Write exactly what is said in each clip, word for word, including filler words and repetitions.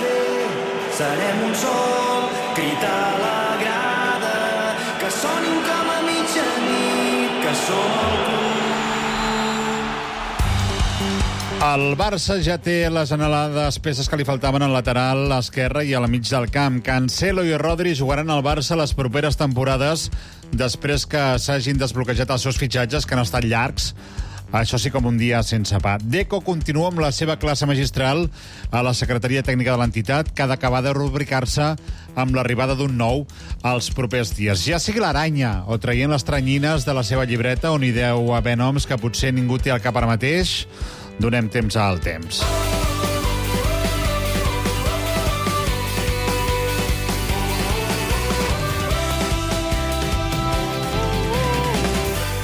fer. Serem un sol, crit a la grada, que sonin com a mitjanit, que som el club. El Barça ja té les anhelades peces que li faltaven al lateral esquerre i a la mig del camp. Cancelo i Rodri jugaran al Barça les properes temporades després que s'hagin desbloquejat els seus fitxatges, que han estat llargs. Això sí, com un dia sense pa. Deco continua amb la seva classe magistral a la Secretaria Tècnica de l'entitat, que ha d'acabar de rubricar-se amb l'arribada d'un nou als propers dies. Ja sigui l'Aranya o traient les tranyines de la seva llibreta, on hi deu haver noms que potser ningú té al cap ara mateix, donem temps al temps.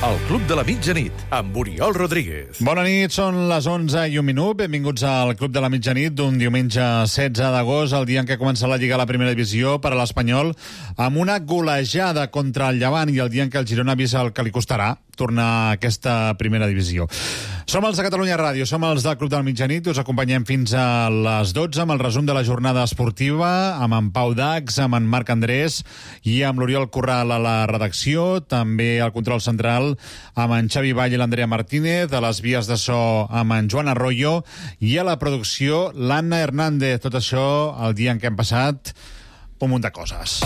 El Club de la Mitjanit, amb Oriol Rodríguez. Bona nit, són les onze i un minut. Benvinguts al Club de la Mitjanit d'un diumenge setze d'agost, el dia en què comença la Lliga a la Primera Divisió per a l'Espanyol, amb una golejada contra el Llevant i el dia en què el Girona ha vist el que li costarà tornar a aquesta Primera Divisió. Som els de Catalunya Ràdio, som els del Club de la Mitjanit, us acompanyem fins a les dotze amb el resum de la jornada esportiva, amb en Pau Dax, amb en Marc Andrés i amb l'Oriol Corral a la redacció, també al control central amb en Xavi Vall i l'Andrea Martínez, a les vies de so amb en Joan Arroyo i a la producció l'Anna Hernández. Tot això el dia en què hem passat un munt de coses.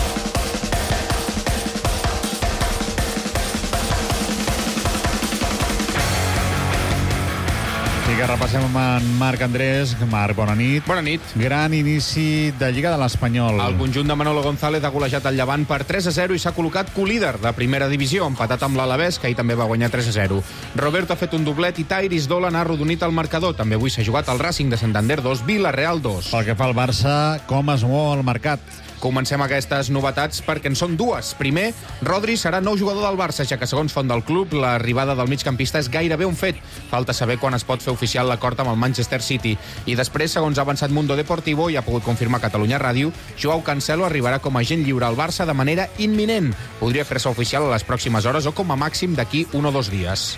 I que repassem amb en Marc Andrés. Marc, bona nit. Bona nit. Gran inici de Lliga de l'Espanyol. El conjunt de Manolo González ha golejat el Llevant per tres a zero i s'ha col·locat colíder de primera divisió, empatat amb l'Alavés, que ahir també va guanyar tres a zero. Roberto ha fet un doblet i Tairis Dolan ha arrodonit el marcador. També avui s'ha jugat el Racing de Santander dos, Villarreal dos. Pel que fa al Barça, com es mou el mercat? Comencem aquestes novetats perquè en són dues. Primer, Rodri serà nou jugador del Barça, ja que segons font del club, l'arribada del migcampista és gairebé un fet. Falta saber quan es pot fer oficial l'acord amb el Manchester City. I després, segons ha avançat Mundo Deportivo i ha pogut confirmar Catalunya Ràdio, Joao Cancelo arribarà com a agent lliure al Barça de manera imminent. Podria fer-se oficial a les pròximes hores o com a màxim d'aquí un o dos dies.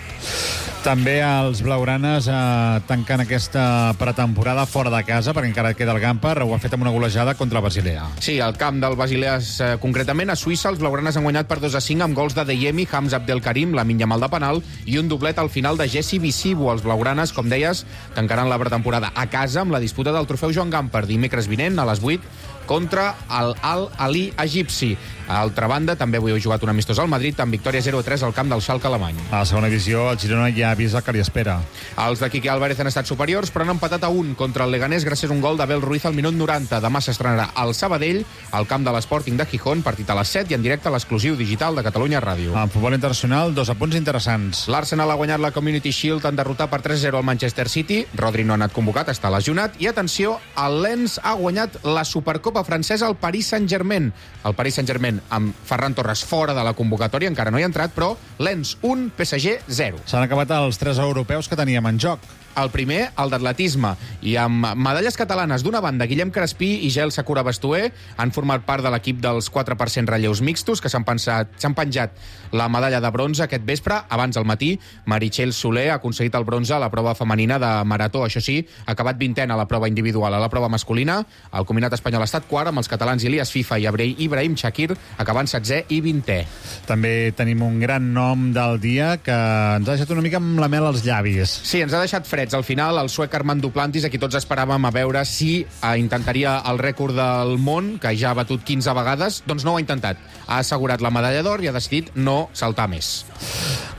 També els blaugranes eh, tancant aquesta pretemporada fora de casa, perquè encara queda el Gamper, ho ha fet amb una golejada contra el Basilea. Sí, al camp del Basilea, eh, concretament a Suïssa, els blaugranes han guanyat per dos a cinc amb gols de Deyemi, Hamza Abdelkarim, Lamine Yamal de penal i un doblet al final de Jesse Visibo. Els blaugranes, com deies, tancaran la pretemporada a casa amb la disputa del trofeu Joan Gamper dimecres vinent a les vuit contra el Al-Ali egipci. A altra banda, també avui heu jugat un amistós al Madrid amb victòria zero a tres al camp del Schalke alemany. A la segona divisió, el Girona ja ha vist el que li espera. Els de Quique Álvarez han estat superiors, però han empatat a un contra el Leganés gràcies a un gol d'Abel Ruiz al minut noranta. Demà s'estrenarà al Sabadell, al camp de l'Sporting de Gijón, partit a les set i en directe a l'exclusiu digital de Catalunya Ràdio. En futbol internacional, dos apunts interessants. L'Arsenal ha guanyat la Community Shield en derrotar per tres a zero al Manchester City. Rodri no ha anat convocat, està lesionat. I atenció, el Lens ha guanyat la Supercopa francesa al Paris Saint-Germain. El Paris Saint-Germain amb Ferran Torres fora de la convocatòria, encara no hi ha entrat, però Lens un, P S G zero. S'han acabat els tres europeus que teníem en joc. El primer, el d'atletisme, i amb medalles catalanes. D'una banda, Guillem Crespí i Gel Sakura Bastué han format part de l'equip dels quatre per cent relleus mixtos, que s'han pensat, s'han penjat la medalla de bronze aquest vespre. Abans, al matí, Meritxell Soler ha aconseguit el bronze a la prova femenina de marató. Això sí, ha acabat vintena a la prova individual. A la prova masculina, el combinat espanyol ha estat quart, amb els catalans Ilias Fifa i Ibrahim Shakir acabant setzè i vintè. També tenim un gran nom del dia que ens ha deixat una mica amb la mel als llavis. Sí, ens ha deixat freds. Al final, el suec Armand Duplantis, a qui tots esperàvem a veure si eh, intentaria el rècord del món, que ja ha batut quinze vegades, doncs no ho ha intentat. Ha assegurat la medalla d'or i ha decidit no saltar més.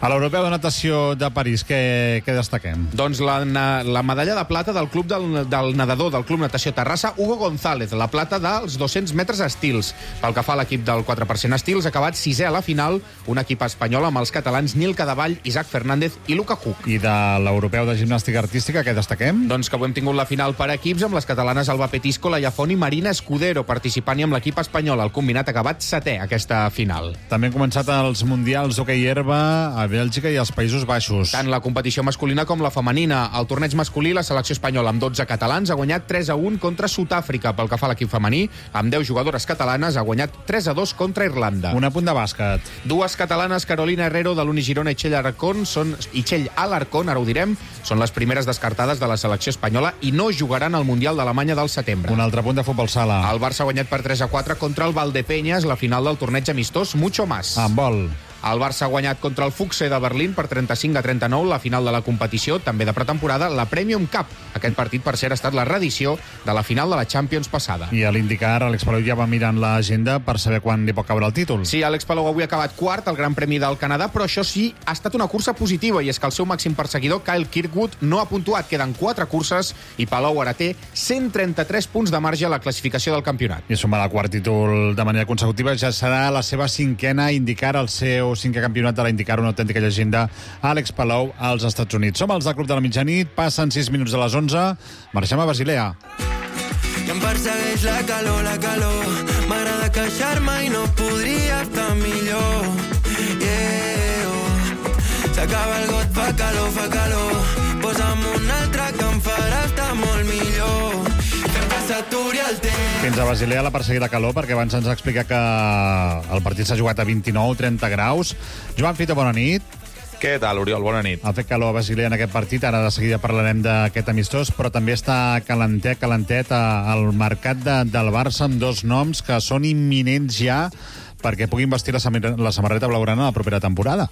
A l'Europeu de Natació de París, què, què destaquem? Doncs la, la medalla de plata del club del, del nedador del Club Natació Terrassa, Hugo González, la plata dels dos-cents metres estils. Pel que fa a l'equip del quatre per cent estils, ha acabat sisè a la final, un equip espanyol amb els catalans Nil Cadavall, Isaac Fernández i Luca Huck. I de l'Europeu de Gimnàstica Artística, què destaquem? Doncs que avui hem tingut la final per equips amb les catalanes Alba Petisco, Laia Font i Marina Escudero participant-hi amb l'equip espanyol. El combinat ha acabat setè aquesta final. També han començat els mundials d'hoquei herba a Bèlgica i els Països Baixos. Tant la competició masculina com la femenina. Al torneig masculí, la selecció espanyola amb dotze catalans ha guanyat tres a un contra Sud-àfrica. Pel que fa a l'equip femení, amb deu jugadores catalanes, ha guanyat tres a dos contra Irlanda. Un apunt de bàsquet. Dues catalanes, Carolina Herrero de l'Unigirona i Txell Alarcón, són, i Txell Alarcón, ara ho direm, són les primeres descartades de la selecció espanyola i no jugaran al Mundial d'Alemanya del setembre. Un altre punt de futbol sala. El Barça ha guanyat per tres a quatre contra el Valdepeñas, la final del torneig amistós Mucho Más. En vol. El Barça ha guanyat contra el Fuchse de Berlín per trenta-cinc a trenta-nou la final de la competició, també de pretemporada, la Premium Cup. Aquest partit, per cert, ha estat la reedició de la final de la Champions passada. I a l'IndyCar, Àlex Palou ja va mirant l'agenda per saber quan li pot caure el títol. Sí, Àlex Palou avui ha acabat quart al Gran Premi del Canadà, però això sí, ha estat una cursa positiva, i és que el seu màxim perseguidor, Kyle Kirkwood, no ha puntuat. Queden quatre curses i Palou ara té cent trenta-tres punts de marge a la classificació del campionat. I sumar el quart títol de manera consecutiva ja serà la seva cinquena IndyCar, el seu cinquè campionat de la IndyCar, una autèntica llegenda, Àlex Palou, als Estats Units. Som els del Club de la Mitjanit, passen sis minuts de les onze, marxem a Basilea. I em persegueix la calor, la calor. M'agrada queixar-me i no podria estar millor. Yeah, oh. S'acaba el got, fa calor, fa calor. Posa'm un altre que em farà estar molt millor. Fem que s'aturi el temps. Fins a Basilea la perseguida calor, perquè abans ens explica que el partit s'ha jugat a vint-i-nou trenta graus. Joan Fito, bona nit. Què tal, Oriol? Bona nit. Ha fet calor a Basilea en aquest partit, ara de seguida parlarem d'aquest amistós, però també està calentet, calentet al mercat de, del Barça amb dos noms que són imminents ja perquè puguin vestir la, la samarreta blaugrana la propera temporada.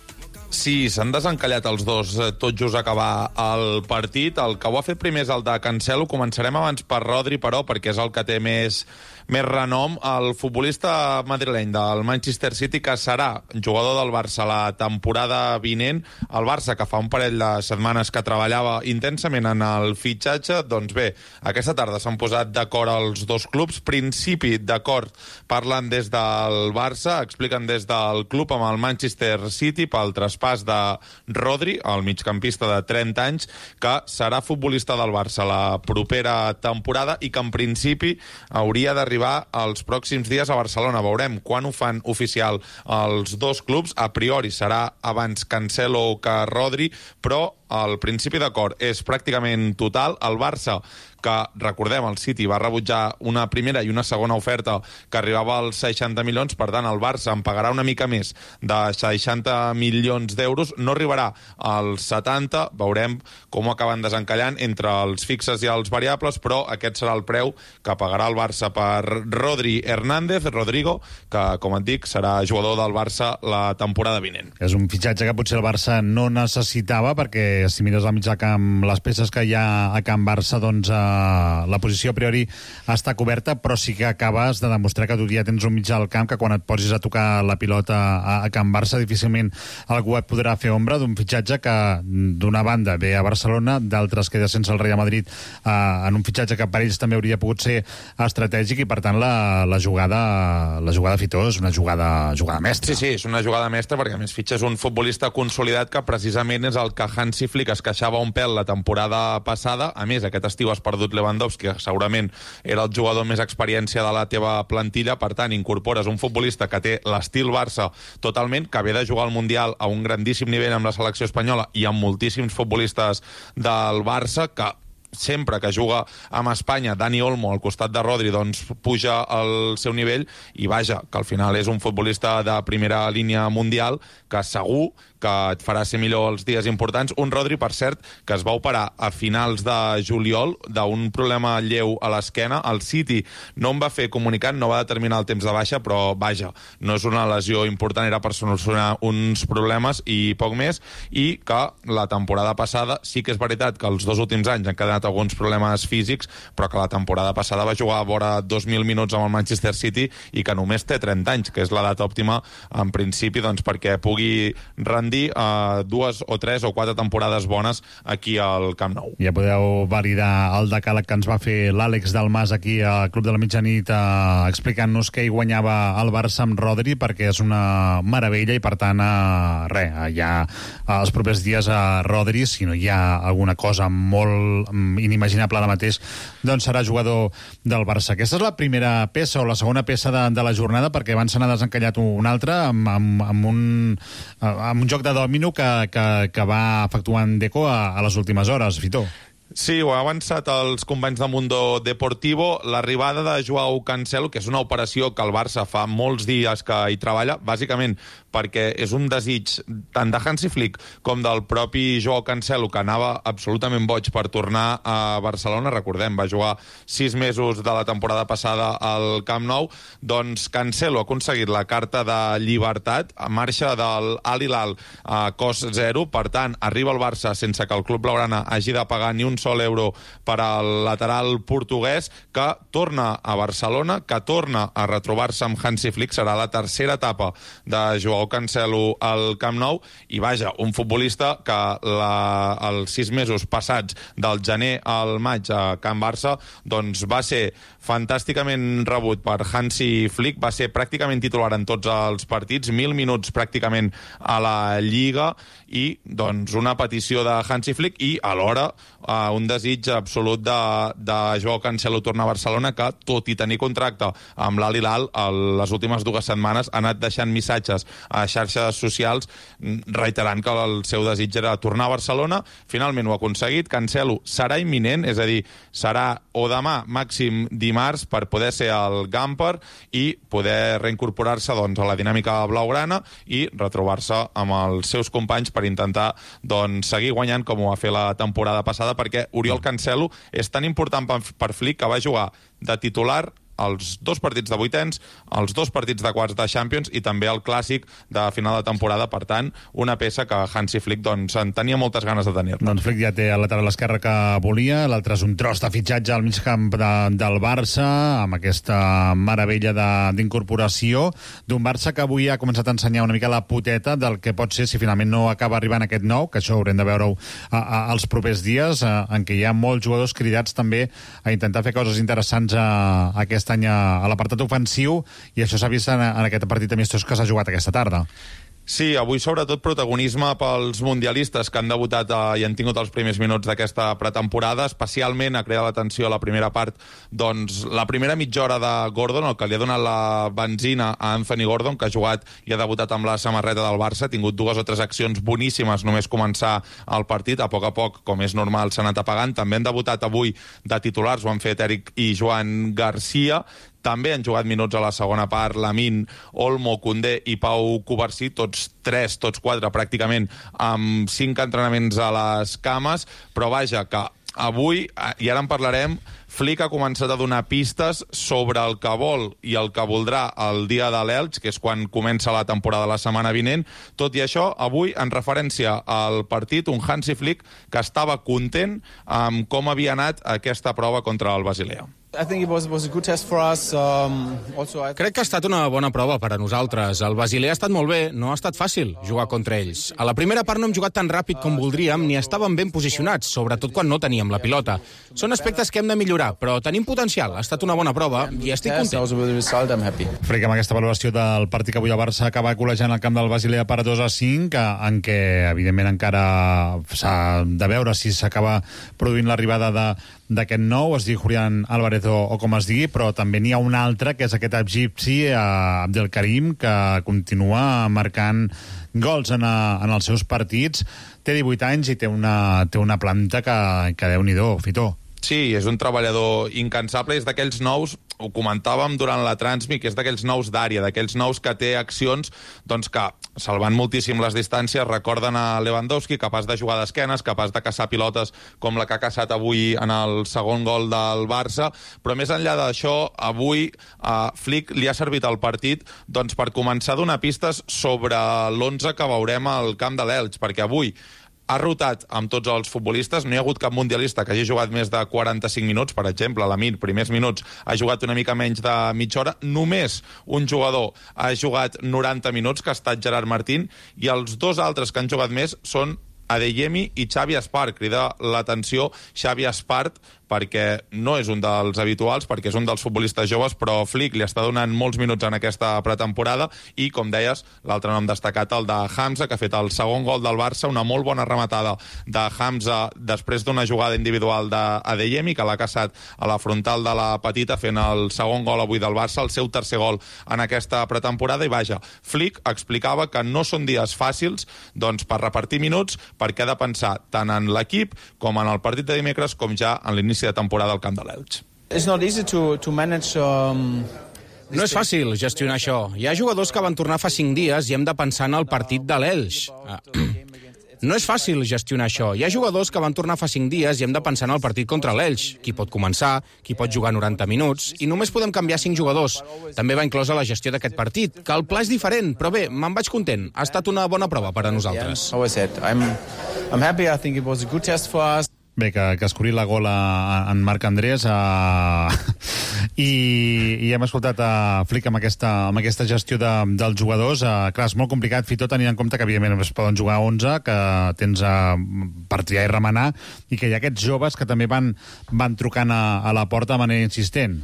Sí, s'han desencallat els dos tot just acabar el partit. El que ho ha fet primer és el de Cancelo. Començarem abans per Rodri, però, perquè és el que té més, més renom. El futbolista madrileny del Manchester City, que serà jugador del Barça la temporada vinent. El Barça, que fa un parell de setmanes que treballava intensament en el fitxatge, doncs bé, aquesta tarda s'han posat d'acord els dos clubs. Principi d'acord parlen des del Barça, expliquen des del club amb el Manchester City pel traspàs pas de Rodri, el migcampista de trenta anys, que serà futbolista del Barça la propera temporada i que en principi hauria d'arribar els pròxims dies a Barcelona. Veurem quan ho fan oficial els dos clubs. A priori serà abans Cancelo que Rodri, però el principi d'acord és pràcticament total. El Barça, que, recordem, el City va rebutjar una primera i una segona oferta que arribava als seixanta milions, per tant, el Barça en pagarà una mica més de seixanta milions d'euros, no arribarà als setanta, veurem com ho acaben desencallant entre els fixes i els variables, però aquest serà el preu que pagarà el Barça per Rodri Hernández, Rodrigo, que, com et dic, serà jugador del Barça la temporada vinent. És un fitxatge que potser el Barça no necessitava, perquè si mires al mig del camp, les peces que hi ha a Can Barça, doncs eh, la posició a priori està coberta, però sí que acabes de demostrar que tu ja tens un mig del camp que quan et posis a tocar la pilota a, a Can Barça difícilment algú et podrà fer ombra, d'un fitxatge que d'una banda ve a Barcelona, d'altres queda sense el Real Madrid eh, en un fitxatge que per ells també hauria pogut ser estratègic, i per tant la, la jugada la jugada Fitó és una jugada, jugada mestra. Sí, sí, és una jugada mestra, perquè a més fitxes un futbolista consolidat que precisament és el que Hansi Flick es queixava un pèl la temporada passada. A més, aquest estiu has perdut Lewandowski, que segurament era el jugador més experiència de la teva plantilla. Per tant, incorpores un futbolista que té l'estil Barça totalment, que ve de jugar al Mundial a un grandíssim nivell amb la selecció espanyola i amb moltíssims futbolistes del Barça, que sempre que juga amb Espanya, Dani Olmo al costat de Rodri, doncs puja el seu nivell, i vaja, que al final és un futbolista de primera línia mundial que segur que et farà ser millor els dies importants. Un Rodri, per cert, que es va operar a finals de juliol d'un problema lleu a l'esquena. El City no en va fer comunicat, no va determinar el temps de baixa, però vaja, no és una lesió important, era per solucionar uns problemes i poc més, i que la temporada passada sí que és veritat que els dos últims anys han quedat alguns problemes físics, però que la temporada passada va jugar a vora dos mil minuts amb el Manchester City i que només té trenta anys, que és l'edat òptima en principi, doncs, perquè pugui rendir Uh, dues o tres o quatre temporades bones aquí al Camp Nou. Ja podeu validar el decàleg que ens va fer l'Àlex Dalmas aquí al Club de la Mitjanit, uh, explicant-nos que hi guanyava el Barça amb Rodri, perquè és una meravella, i per tant uh, res, uh, ja uh, els propers dies a uh, Rodri, si no hi ha alguna cosa molt um, inimaginable ara mateix, doncs serà jugador del Barça. Aquesta és la primera peça o la segona peça de, de la jornada, perquè abans se n'ha desencallat un altre amb, amb, amb, un, uh, amb un joc joc de dòmino que, que, que va efectuant Deco a, a les últimes hores, Fitó. Sí, ho ha avançat els companys de Mundo Deportivo. L'arribada de Joao Cancelo, que és una operació que el Barça fa molts dies que hi treballa, bàsicament perquè és un desig tant de Hansi Flick com del propi Joao Cancelo, que anava absolutament boig per tornar a Barcelona. Recordem, va jugar sis mesos de la temporada passada al Camp Nou. Doncs Cancelo ha aconseguit la carta de llibertat, a marxa del Al Hilal a cost zero. Per tant, arriba al Barça sense que el club blaugrana hagi de pagar ni un sol euro per al lateral portuguès, que torna a Barcelona, que torna a retrobar-se amb Hansi Flick. Serà la tercera etapa de Joao Cancelo al Camp Nou, i vaja, un futbolista que la, els sis mesos passats del gener al maig a Can Barça doncs va ser fantàsticament rebut per Hansi Flick, va ser pràcticament titular en tots els partits, mil minuts pràcticament a la Lliga, i doncs una petició de Hansi Flick i alhora uh, un desig absolut de, de Joao Cancelo tornar a Barcelona, que tot i tenir contracte amb l'Al Hilal les últimes dues setmanes ha anat deixant missatges a xarxes socials reiterant que el seu desig era tornar a Barcelona. Finalment ho ha aconseguit. Cancelo serà imminent, és a dir, serà o demà, màxim dimarts, per poder ser al Gamper i poder reincorporar-se doncs, a la dinàmica blaugrana i retrobar-se amb els seus companys per intentar doncs, seguir guanyant com ho va fer la temporada passada, perquè Oriol Cancelo és tan important per Flick que va jugar de titular els dos partits de vuitens, els dos partits de quarts de Champions i també el clàssic de final de temporada. Per tant, una peça que Hansi Flick doncs, en tenia moltes ganes de tenir-la. Doncs Flick ja té el lateral esquerre que volia, l'altre és un tros de fitxatge al mig camp de, del Barça, amb aquesta meravella d'incorporació d'un Barça que avui ha començat a ensenyar una mica la poteta del que pot ser si finalment no acaba arribant aquest nou, que això haurem de veure-ho els propers dies, a, en què hi ha molts jugadors cridats també a intentar fer coses interessants a, a aquest any a l'apartat ofensiu, i això s'ha vist en, en aquest partit amistós que s'ha jugat aquesta tarda. Sí, avui sobretot protagonisme pels mundialistes que han debutat eh, i han tingut els primers minuts d'aquesta pretemporada. Especialment ha creat l'atenció a la primera part, doncs la primera mitja hora de Gordon, el que li ha donat la benzina a Anthony Gordon, que ha jugat i ha debutat amb la samarreta del Barça, ha tingut dues o tres accions boníssimes només començar el partit. A poc a poc, com és normal, s'ha anat apagant. També han debutat avui de titulars, ho han fet Eric i Joan Garcia. També han jugat minuts a la segona part Lamine, Olmo, Koundé i Pau Cubarsí, tots tres, tots quatre pràcticament, amb cinc entrenaments a les cames, però vaja, que avui, i ara en parlarem, Flick ha començat a donar pistes sobre el que vol i el que voldrà el dia de l'Elx, que és quan comença la temporada la setmana vinent. Tot i això, avui, en referència al partit, un Hansi Flick que estava content amb com havia anat aquesta prova contra el Basilea. Crec que ha estat una bona prova per a nosaltres. El Basilea ha estat molt bé, no ha estat fàcil jugar contra ells. A la primera part no hem jugat tan ràpid com voldríem ni estàvem ben posicionats, sobretot quan no teníem la pilota. Són aspectes que hem de millorar, però tenim potencial. Ha estat una bona prova i estic content. Flick, amb aquesta valoració del partit que avui el Barça acaba col·legiant el camp del Basilea per dos a cinc, en què, evidentment, encara s'ha de veure si s'acaba produint l'arribada de d'aquest nou, es diu Julián Álvarez o, o com es digui, però també n'hi ha un altre, que és aquest egipci, eh, Abdelkarim, que continua marcant gols en, a, en els seus partits. Té divuit anys i té una, té una planta que, que Déu-n'hi-do, Fitó. Sí, és un treballador incansable, és d'aquells nous, ho comentàvem durant la Transmi, que és d'aquells nous d'àrea, d'aquells nous que té accions doncs que, salvant moltíssim les distàncies, recorden a Lewandowski, capaç de jugar d'esquenes, capaç de caçar pilotes com la que ha caçat avui en el segon gol del Barça, però més enllà d'això, avui a Flick li ha servit el partit doncs, per començar a donar pistes sobre l'onze que veurem al camp de l'Elx, perquè avui ha rotat amb tots els futbolistes, no hi ha hagut cap mundialista que hagi jugat més de quaranta-cinc minuts, per exemple, Lamine, primers minuts, ha jugat una mica menys de mitja hora, només un jugador ha jugat noranta minuts, que ha estat Gerard Martín, i els dos altres que han jugat més són Adeyemi i Xavi Espart. Crida l'atenció Xavi Espart perquè no és un dels habituals, perquè és un dels futbolistes joves, però Flick li està donant molts minuts en aquesta pretemporada i, com deies, l'altre nom destacat, el de Hamza, que ha fet el segon gol del Barça, una molt bona rematada de Hamza després d'una jugada individual d'Adeyemi, que l'ha caçat a la frontal de la petita, fent el segon gol avui del Barça, el seu tercer gol en aquesta pretemporada, i vaja, Flick explicava que no són dies fàcils doncs, per repartir minuts, perquè ha de pensar tant en l'equip com en el partit de dimecres, com ja en l'inici de temporada al camp de l'Elx. It's not easy to, to manage, um... No és fàcil gestionar això. Hi ha jugadors que van tornar fa cinc dies i hem de pensar en el partit de l'Elx. No és fàcil gestionar això. Hi ha jugadors que van tornar fa cinc dies i hem de pensar en el partit contra l'Elx. Qui pot començar, qui pot jugar noranta minuts, i només podem canviar cinc jugadors. També va inclosa la gestió d'aquest partit, que el pla és diferent, però bé, me'n vaig content. Ha estat una bona prova per a nosaltres. I'm, I'm happy. I think it was a good test for us. Bé, que, que escurit la gola en Marc Andrés uh, i, i hem escoltat a uh, Flick amb aquesta, amb aquesta gestió de, dels jugadors. Uh, clar, és molt complicat, Fito, tenint en compte que evidentment es poden jugar onze, que tens uh, per triar i remenar, i que hi ha aquests joves que també van, van trucant a, a la porta de manera insistent.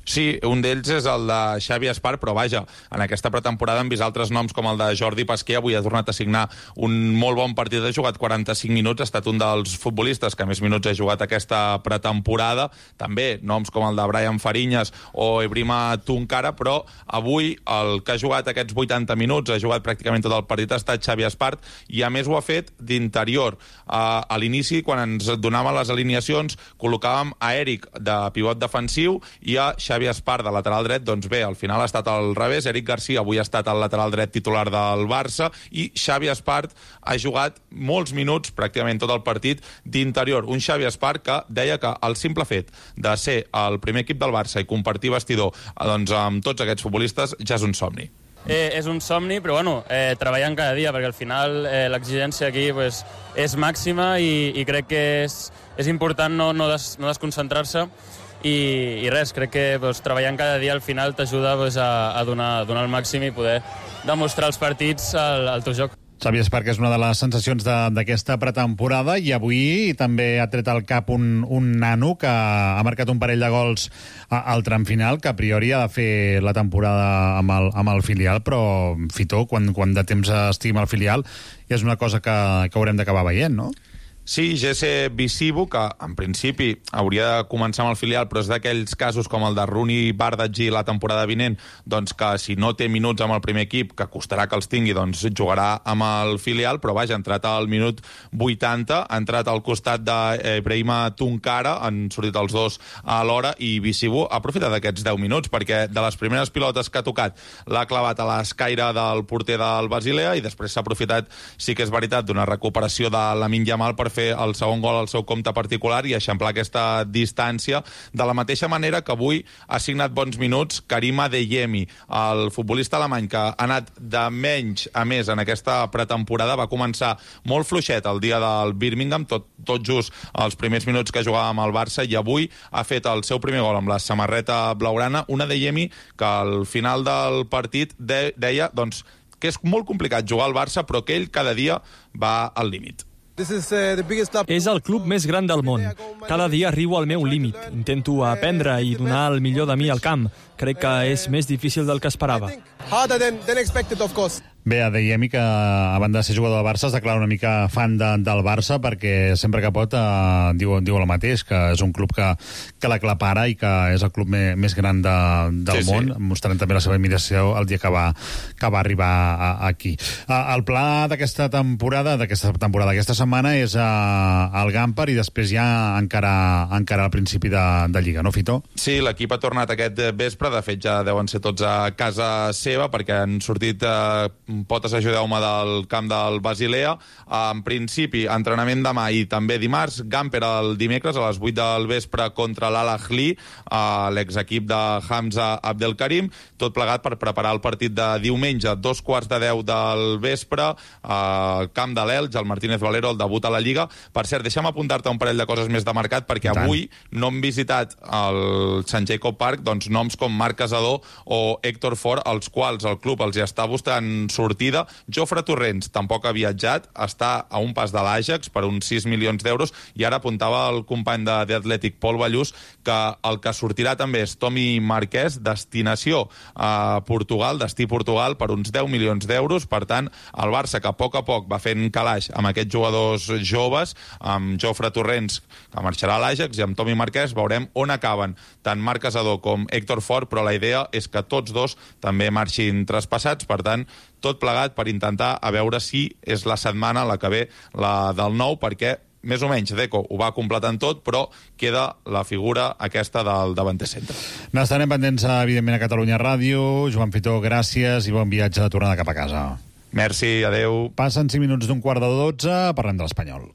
Sí, un d'ells és el de Xavi Espart, però vaja, en aquesta pretemporada hem vist altres noms com el de Jordi Pasquer, avui ha tornat a signar un molt bon partit, ha jugat quaranta-cinc minuts, ha estat un dels futbolistes que més minuts ha jugat aquesta pretemporada, també noms com el de Brian Fariñas o Ibrahima Tunkara, però avui el que ha jugat aquests vuitanta minuts, ha jugat pràcticament tot el partit, ha estat Xavi Espart, i a més ho ha fet d'interior. Uh, a l'inici, quan ens donàvem les alineacions, col·locàvem a Eric de pivot defensiu i a Xavi Xavi Espart de lateral dret, doncs bé, al final ha estat al revés. Eric Garcia avui ha estat el lateral dret titular del Barça i Xavi Espart ha jugat molts minuts, pràcticament tot el partit, d'interior. Un Xavi Espart que deia que el simple fet de ser el primer equip del Barça i compartir vestidor doncs, amb tots aquests futbolistes ja és un somni. Eh, és un somni, però bueno, eh, treballant cada dia, perquè al final eh, l'exigència aquí pues, és màxima i, i crec que és, és important no, no, des, no desconcentrar-se i, i res, crec que pues, treballant cada dia al final t'ajuda pues, a, a, donar, a donar el màxim i poder demostrar els partits al, al teu joc. Xavi Espart, que és una de les sensacions d'aquesta pretemporada, i avui també ha tret al cap un, un nano que ha marcat un parell de gols a, al tram final, que a priori ha de fer la temporada amb el, amb el filial, però Fito, quan, quan de temps estigui al filial, és una cosa que, que haurem d'acabar veient, no? Sí, Jesse Bisibu, que en principi hauria de començar amb el filial, però és d'aquells casos com el de Rooney Bardghji la temporada vinent, doncs que si no té minuts amb el primer equip, que costarà que els tingui, doncs jugarà amb el filial, però vaja, ha entrat al minut vuitanta, ha entrat al costat d'Ibrahima Tunkara, han sortit els dos a l'hora, i Bisibu ha aprofitat d'aquests deu minuts, perquè de les primeres pilotes que ha tocat l'ha clavat a l'escaire del porter del Basilea, i després s'ha aprofitat, sí que és veritat, d'una recuperació de Lamine Yamal per fer el segon gol al seu compte particular i eixamplar aquesta distància, de la mateixa manera que avui ha signat bons minuts Karim Adeyemi, el futbolista alemany que ha anat de menys a més en aquesta pretemporada. Va començar molt fluixet el dia del Birmingham, tot, tot just els primers minuts que jugava amb el Barça, i avui ha fet el seu primer gol amb la samarreta blaugrana, un Adeyemi que al final del partit de, deia doncs, que és molt complicat jugar al Barça, però que ell cada dia va al límit. És el club més gran del món. Cada dia arribo al meu límit. Intento aprendre i donar el millor de mi al camp. Crec que és més difícil del que esperava. Bé, Adeyemi, que a banda de ser jugador del Barça, es declara una mica fan de, del Barça, perquè sempre que pot eh, diu, diu el mateix, que és un club que, que l'aclapara i que és el club me, més gran de, del sí, món, sí. Mostrant també la seva admiració el dia que va, que va arribar a, a aquí. Eh, el pla d'aquesta temporada, d'aquesta temporada, aquesta setmana, és eh, el Gampar i després ja encara, encara al principi de, de Lliga, no, Fito? Sí, l'equip ha tornat aquest vespre, de fet ja deuen ser tots a casa seva, perquè han sortit eh, potes ajudeu-me del camp del Basilea. En principi, entrenament demà i també dimarts, Gamper el dimecres a les vuit del vespre contra l'Al Ahly, l'exequip de Hamza Abdelkarim, tot plegat per preparar el partit de diumenge, dos quarts de deu del vespre, al camp de l'Elx, el Martínez Valero, el debut a la Lliga. Per cert, deixa'm apuntar-te un parell de coses més de mercat, perquè avui no hem visitat el Sant Jacob Park, doncs noms com Marc Casador o Héctor Fort, els quals el club els hi està buscant sortir sortida. Jofre Torrents tampoc ha viatjat, està a un pas de l'Àjax per uns sis milions d'euros, i ara apuntava el company de The Athletic, Pol Ballús, que el que sortirà també és Tomi Marquès, destinació a Portugal, destí Portugal, per uns deu milions d'euros. Per tant, el Barça, que a poc a poc va fent calaix amb aquests jugadors joves, amb Jofre Torrents, que marxarà a l'Àjax, i amb Tomi Marquès, veurem on acaben tant Marc Casador com Héctor Fort, però la idea és que tots dos també marxin traspassats. Per tant, tot plegat per intentar a veure si és la setmana la que ve la del nou, perquè més o menys Deco ho va completant tot, però queda la figura aquesta del davanter centre. N'estarem pendents, evidentment, a Catalunya Ràdio. Joan Fitó, gràcies i bon viatge de tornada cap a casa. Merci, adeu. Passen cinc minuts d'un quart de dotze, parlem de l'Espanyol.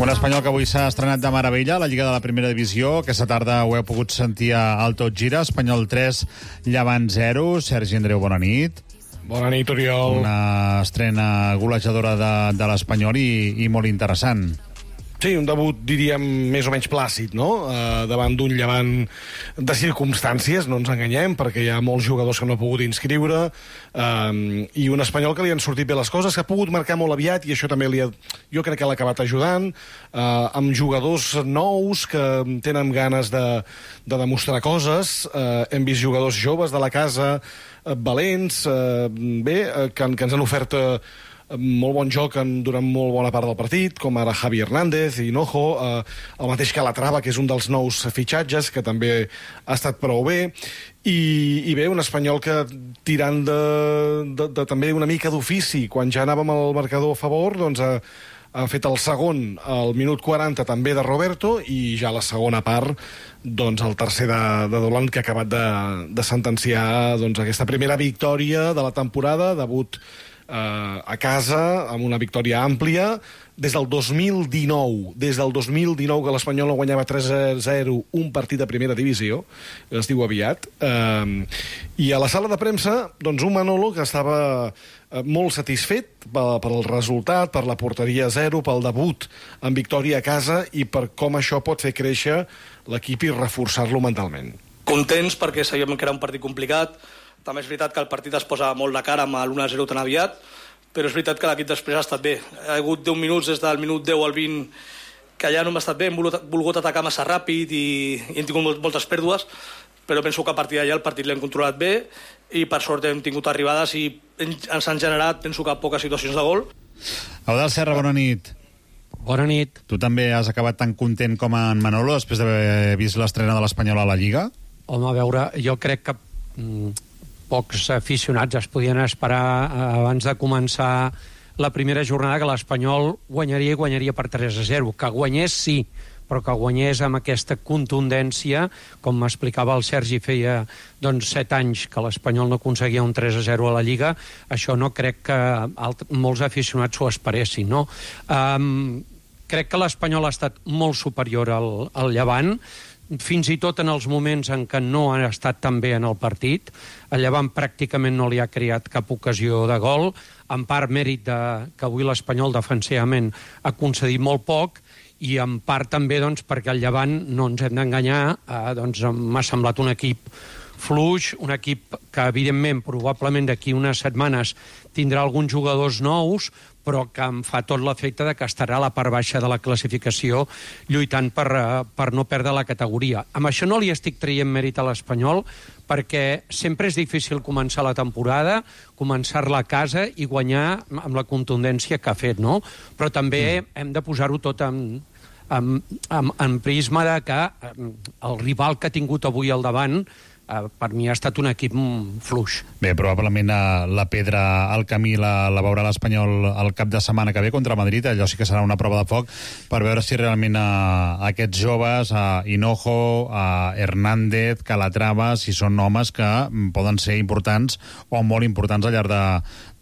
Un Espanyol que avui s'ha estrenat de meravella a la Lliga de la Primera Divisió. Aquesta tarda ho heu pogut sentir al Tot Gira. Espanyol tres, Llevant zero. Sergi Andreu, bona nit. Bona nit, Oriol. Una estrena golejadora de, de l'Espanyol i, i molt interessant. Sí, un debut, diríem, més o menys plàcid, no? Uh, davant d'un Llevant de circumstàncies, no ens enganyem, perquè hi ha molts jugadors que no ha pogut inscriure, uh, i un Espanyol que li han sortit bé les coses, que ha pogut marcar molt aviat, i això també li ha, jo crec que l'ha acabat ajudant, uh, amb jugadors nous que tenen ganes de, de demostrar coses. Uh, hem vist jugadors joves de la casa, uh, valents, uh, bé, uh, que, que ens han ofert uh, molt bon joc en, durant molt bona part del partit, com ara Javi Hernández i Hinojo, eh, el mateix Calatrava, que és un dels nous fitxatges, que també ha estat prou bé, i, i bé, un Espanyol que tirant de, de, de també una mica d'ofici, quan ja anàvem al marcador a favor, doncs ha, ha fet el segon al minut quaranta també de Roberto, i ja la segona part doncs el tercer de, de Dolan, que ha acabat de, de sentenciar doncs, aquesta primera victòria de la temporada, debut a casa, amb una victòria àmplia, des del dos mil dinou, des del dos mil dinou que l'Espanyol no guanyava tres a zero un partit de primera divisió, es diu aviat, eh, i a la sala de premsa, doncs un Manolo que estava molt satisfet pel resultat, per la porteria zero, pel debut en victòria a casa i per com això pot fer créixer l'equip i reforçar-lo mentalment. Contents perquè sabíem que era un partit complicat. També és veritat que el partit es posa molt de cara amb l'u a zero tan aviat, però és veritat que l'equip després ha estat bé. Ha hagut deu minuts, des del minut deu al vint, que ja no hem estat bé, hem volgut atacar massa ràpid i, i hem tingut moltes pèrdues, però penso que a partir d'allà el partit l'hem controlat bé i per sort hem tingut arribades i ens han generat, penso que, poques situacions de gol. Eudald Serra, bona nit. Bona nit. Tu també has acabat tan content com en Manolo després d'haver vist l'estrena de l'Espanyol a la Lliga? Home, a veure, jo crec que mm, pocs aficionats es podien esperar eh, abans de començar la primera jornada que l'Espanyol guanyaria i guanyaria per tres a zero. Que guanyés sí, però que guanyés amb aquesta contundència, com m'explicava el Sergi, feia doncs, set anys que l'Espanyol no aconseguia un tres a zero a la Lliga. Això no crec que alt, molts aficionats s'ho esperessin, no? Um, crec que l'Espanyol ha estat molt superior al, al Llevant, fins i tot en els moments en què no ha estat tan bé en el partit. El Llevant pràcticament no li ha creat cap ocasió de gol, en part mèrit de, que avui l'Espanyol defensivament ha concedit molt poc, i en part també doncs, perquè el Llevant, no ens hem d'enganyar, eh, doncs, m'ha semblat un equip fluix, un equip que evidentment probablement d'aquí unes setmanes tindrà alguns jugadors nous, però que em fa tot l'efecte de que estarà a la part baixa de la classificació lluitant per, per no perdre la categoria. Amb això no li estic traient mèrit a l'Espanyol, perquè sempre és difícil començar la temporada, començar-la a casa i guanyar amb la contundència que ha fet, no? Però també mm. hem de posar-ho tot en, en, en, en prisma de que el rival que ha tingut avui al davant per mi ha estat un equip fluix. Bé, probablement la pedra al camí la, la veurà l'Espanyol el cap de setmana que ve contra Madrid. Allò sí que serà una prova de foc per veure si realment a, a aquests joves, a Hinojo, a Hernández, Calatrava, si són homes que poden ser importants o molt importants al llarg de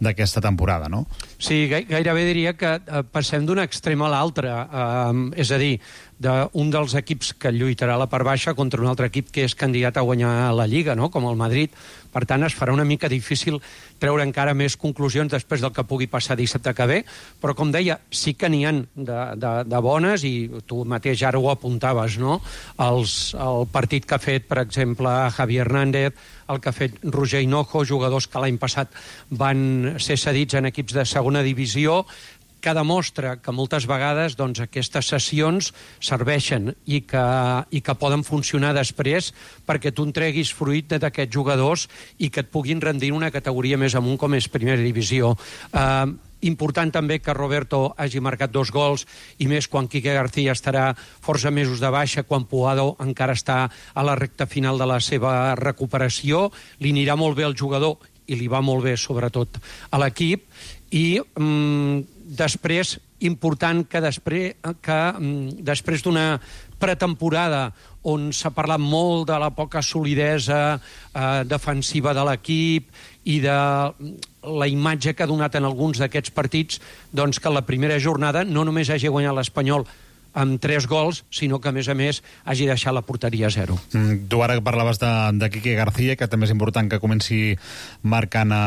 d'aquesta temporada, no? Sí, gairebé diria que passem d'un extrem a l'altre. Eh, és a dir, d'un dels equips que lluitarà a la part baixa contra un altre equip que és candidat a guanyar la Lliga, no? Com el Madrid. Per tant, es farà una mica difícil treure encara més conclusions després del que pugui passar dissabte que ve, però, com deia, sí que n'hi ha de, de, de bones, i tu mateix ara ho apuntaves, no? Els, el partit que ha fet, per exemple, Javi Hernández, el que ha fet Roger Hinojo, jugadors que l'any passat van ser cedits en equips de segona divisió, que demostra que moltes vegades doncs, aquestes sessions serveixen i que, i que poden funcionar després perquè tu en treguis fruit d'aquests jugadors i que et puguin rendir una categoria més amunt com és primera divisió. Eh, important també que Roberto hagi marcat dos gols, i més quan Quique García estarà força mesos de baixa, quan Puado encara està a la recta final de la seva recuperació. Li anirà molt bé al jugador i li va molt bé sobretot a l'equip. I mm, després, important que després, que, mm, després d'una pretemporada on s'ha parlat molt de la poca solidesa eh, defensiva de l'equip i de la imatge que ha donat en alguns d'aquests partits, doncs que la primera jornada no només hagi guanyat l'Espanyol amb tres gols, sinó que, a més a més, hagi deixat la porteria a zero. Mm, tu ara parlaves de, de Quique García, que també és important que comenci marcant a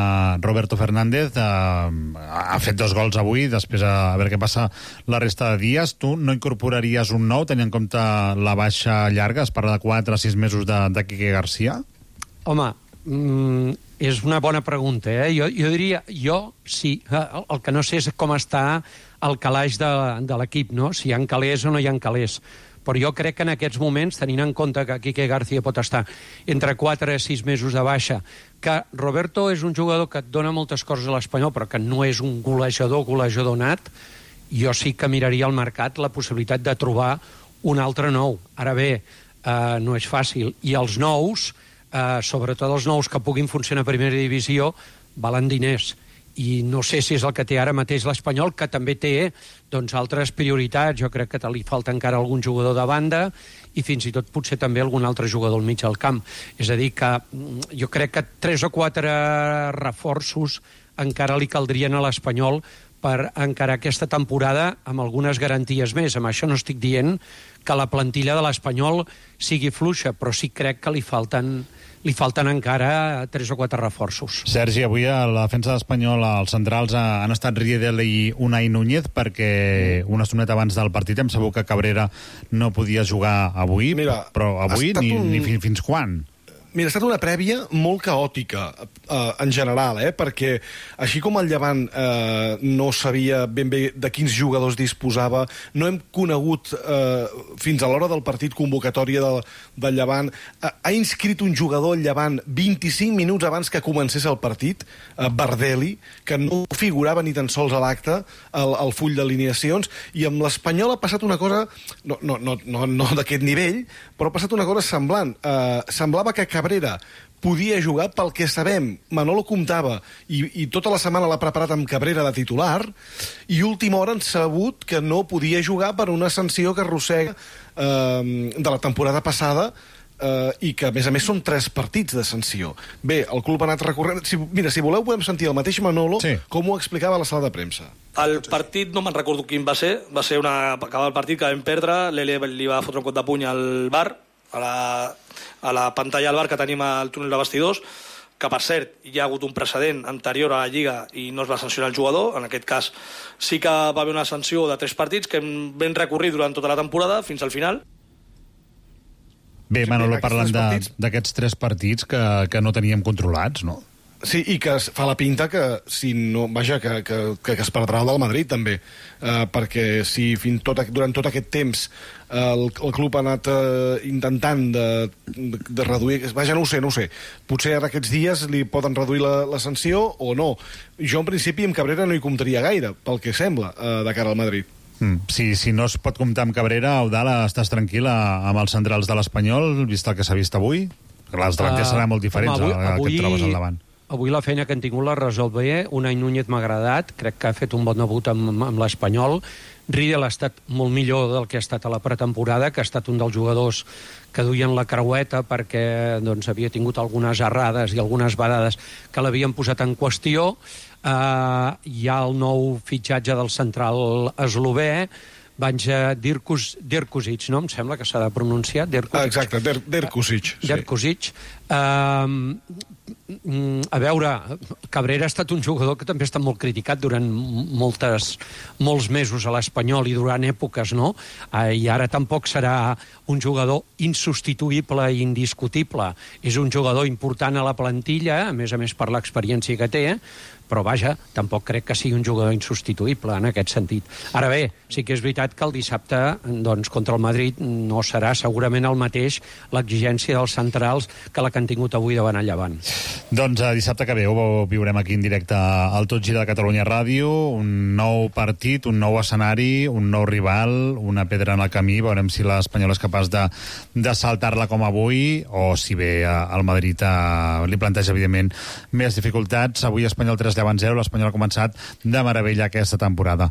Roberto Fernández. Uh, ha fet dos gols avui, després a, a veure què passa la resta de dies. Tu no incorporaries un nou, tenint en compte la baixa llarga? Es parla de quatre a sis mesos de, de Quique García? Home, mm, és una bona pregunta, eh? Jo, jo diria, jo sí. El, el que no sé és com està el calaix de, de l'equip, no? Si hi ha calés o no hi ha calés. Però jo crec que en aquests moments, tenint en compte que Quique García pot estar entre quatre i sis mesos de baixa, que Roberto és un jugador que et dona moltes coses a l'Espanyol, però que no és un golejador, golejador nat, jo sí que miraria al mercat la possibilitat de trobar un altre nou. Ara bé, eh, no és fàcil. I els nous, eh, sobretot els nous que puguin funcionar a primera divisió, valen diners. I no sé si és el que té ara mateix l'Espanyol, que també té doncs, altres prioritats. Jo crec que li falta encara algun jugador de banda i fins i tot potser també algun altre jugador al mig del camp. És a dir, que jo crec que tres o quatre reforços encara li caldrien a l'Espanyol per encarar aquesta temporada amb algunes garanties més. Amb això no estic dient que la plantilla de l'Espanyol sigui fluixa, però sí crec que li falten... li falten encara tres o quatre reforços. Sergi, avui a la defensa d'Espanyol els centrals han estat Riedel i Unai Núñez, perquè una estoneta abans del partit hem sabut que Cabrera no podia jugar avui. Mira, però avui ni, un... ni fins, fins quan? Mira, ha estat una prèvia molt caòtica, eh, en general, eh? Perquè així com el Llevant eh, no sabia ben bé de quins jugadors disposava, no hem conegut eh, fins a l'hora del partit convocatòria del, del Llevant. Eh, ha inscrit un jugador al Llevant vint-i-cinc minuts abans que comencés el partit, eh, Bardelli, que no figurava ni tan sols a l'acte, al, al full d'alineacions, i amb l'Espanyol ha passat una cosa, no, no, no, no, no d'aquest nivell, però ha passat una cosa semblant. Eh, semblava que Cabrera podia jugar, pel que sabem. Manolo comptava, i, i tota la setmana l'ha preparat amb Cabrera de titular, i última hora han sabut que no podia jugar per una sanció que arrossega eh, de la temporada passada, eh, i que, a més a més, són tres partits de sanció. Bé, el club ha anat recorrent... Si, mira, si voleu podem sentir el mateix Manolo, sí, com ho explicava a la sala de premsa. El partit, no me'n recordo quin va ser, va ser una... acabar el partit que vam perdre, l'Ele li va fotre un cop de puny al bar, a la, a la pantalla al bar que tenim al túnel de vestidors, que per cert hi ha hagut un precedent anterior a la Lliga i no es va sancionar el jugador. En aquest cas sí que va haver una sanció de tres partits que vam recorrir durant tota la temporada fins al final. Bé, Manolo, parlant d'aquests tres partits que, que no teníem controlats, no? Sí, i que fa la pinta que, si no, vaja, que, que, que es perdrà el del Madrid, també. Uh, perquè si fins tot, durant tot aquest temps uh, el, el club ha anat uh, intentant de, de, de reduir... Vaja, no ho sé, no ho sé. Potser ara aquests dies li poden reduir la, la sanció o no. Jo, en principi, amb Cabrera no hi comptaria gaire, pel que sembla, uh, de cara al Madrid. Mm. Si, si no es pot comptar amb Cabrera, Eudal, estàs tranquil amb els centrals de l'Espanyol, vist el que s'ha vist avui? Els delanters uh, seran molt diferents home, avui, al que et trobes al davant. Avui la feina que han tingut l'ha resolt bé. Unai Núñez m'ha agradat, crec que ha fet un bon debut amb, amb l'Espanyol. Riedel ha estat molt millor del que ha estat a la pretemporada, que ha estat un dels jugadors que duien la creueta perquè doncs, havia tingut algunes errades i algunes badades que l'havien posat en qüestió. Uh, hi ha el nou fitxatge del central eslové, Banja Dirkusic, no? Em sembla que s'ha de pronunciar. Ah, exacte, Dirkusic. Dirkusic. Uh, a veure, Cabrera ha estat un jugador que també ha estat molt criticat durant moltes, molts mesos a l'Espanyol i durant èpoques, no? Uh, I ara tampoc serà un jugador insubstituïble i indiscutible. És un jugador important a la plantilla, a més a més per l'experiència que té, però vaja, tampoc crec que sigui un jugador insubstituïble en aquest sentit. Ara bé, sí que és veritat que el dissabte, doncs, contra el Madrid no serà segurament el mateix l'exigència dels centrals que la que han tingut avui davant el Llevant. Doncs eh, dissabte que ve ho viurem aquí en directe al Tot Gira de Catalunya Ràdio, un nou partit, un nou escenari, un nou rival, una pedra en el camí, veurem si l'Espanyol és capaç de, de saltar-la com avui, o si bé eh, el Madrid eh, li planteja, evidentment, més dificultats. Avui Espanyol tres Llevant zero, l'Espanyol ha començat de meravella aquesta temporada.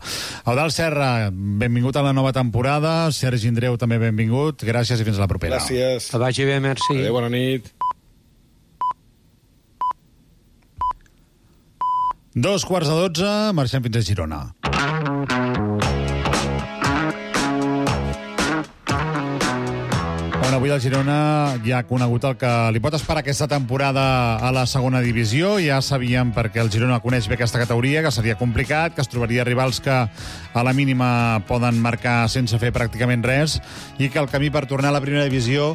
Eudald Serra, benvingut a la nova temporada. Sergi Andreu, també benvingut. Gràcies i fins a la propera. Gràcies. Que vagi bé, merci. Adéu, bona nit. Dos quarts de dotze, marxem fins a Girona. Avui el Girona ja ha conegut el que li pot esperar aquesta temporada a la segona divisió. Ja sabíem, perquè el Girona coneix bé aquesta categoria, que seria complicat, que es trobaria rivals que a la mínima poden marcar sense fer pràcticament res, i que el camí per tornar a la primera divisió...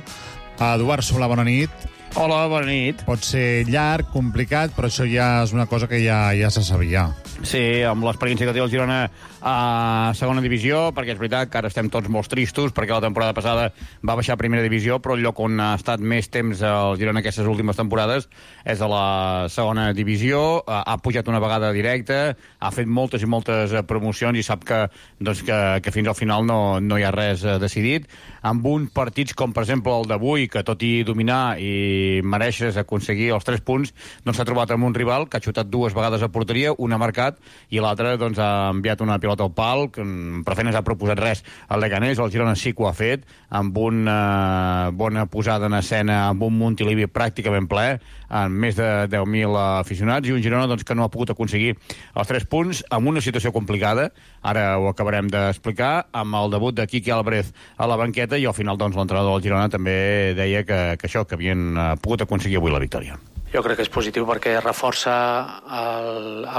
Eduard Solà, bona nit. Hola, bona nit. Pot ser llarg, complicat, però això ja és una cosa que ja, ja se sabia. Sí, amb l'experiència que té el Girona a segona divisió, perquè és veritat que ara estem tots molt tristos, perquè la temporada passada va baixar a primera divisió, però el lloc on ha estat més temps el Girona aquestes últimes temporades és a la segona divisió. Ha pujat una vegada directa, ha fet moltes i moltes promocions i sap que, doncs, que, que fins al final no, no hi ha res decidit. Amb uns partits com, per exemple, el d'avui, que tot i dominar i mereixes aconseguir els tres punts, doncs s'ha trobat amb un rival que ha xutat dues vegades a porteria, una ha marcat i l'altra doncs, ha enviat una pilota al pal, que per fer no s'ha proposat res al Leganés. El Girona sí que ho ha fet, amb una bona posada en escena, amb un Montilivi pràcticament ple, amb més de deu mil aficionats, i un Girona doncs, que no ha pogut aconseguir els tres punts, amb una situació complicada, ara ho acabarem d'explicar, amb el debut de Quique Álvarez a la banqueta, i al final doncs, l'entrenador del Girona també deia que, que això, que havien pogut aconseguir avui la victòria. Jo crec que és positiu perquè reforça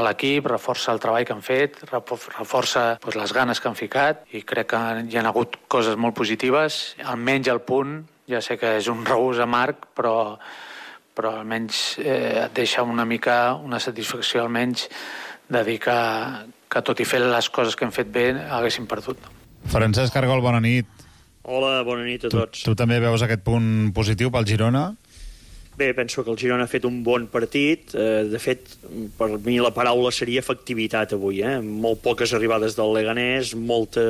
l'equip, reforça el treball que han fet, reforça pues, les ganes que han ficat, i crec que hi ha hagut coses molt positives, almenys el punt, ja sé que és un regús amarg, però, però almenys eh, et deixa una mica una satisfacció almenys de dir que, que tot i fer les coses que hem fet bé haguéssim perdut. Francesc Argol, bona nit. Hola, bona nit a tots. Tu, tu també veus aquest punt positiu pel Girona? Bé, penso que el Girona ha fet un bon partit. Eh, de fet, per mi la paraula seria efectivitat avui. Eh? Molt poques arribades del Leganés, molta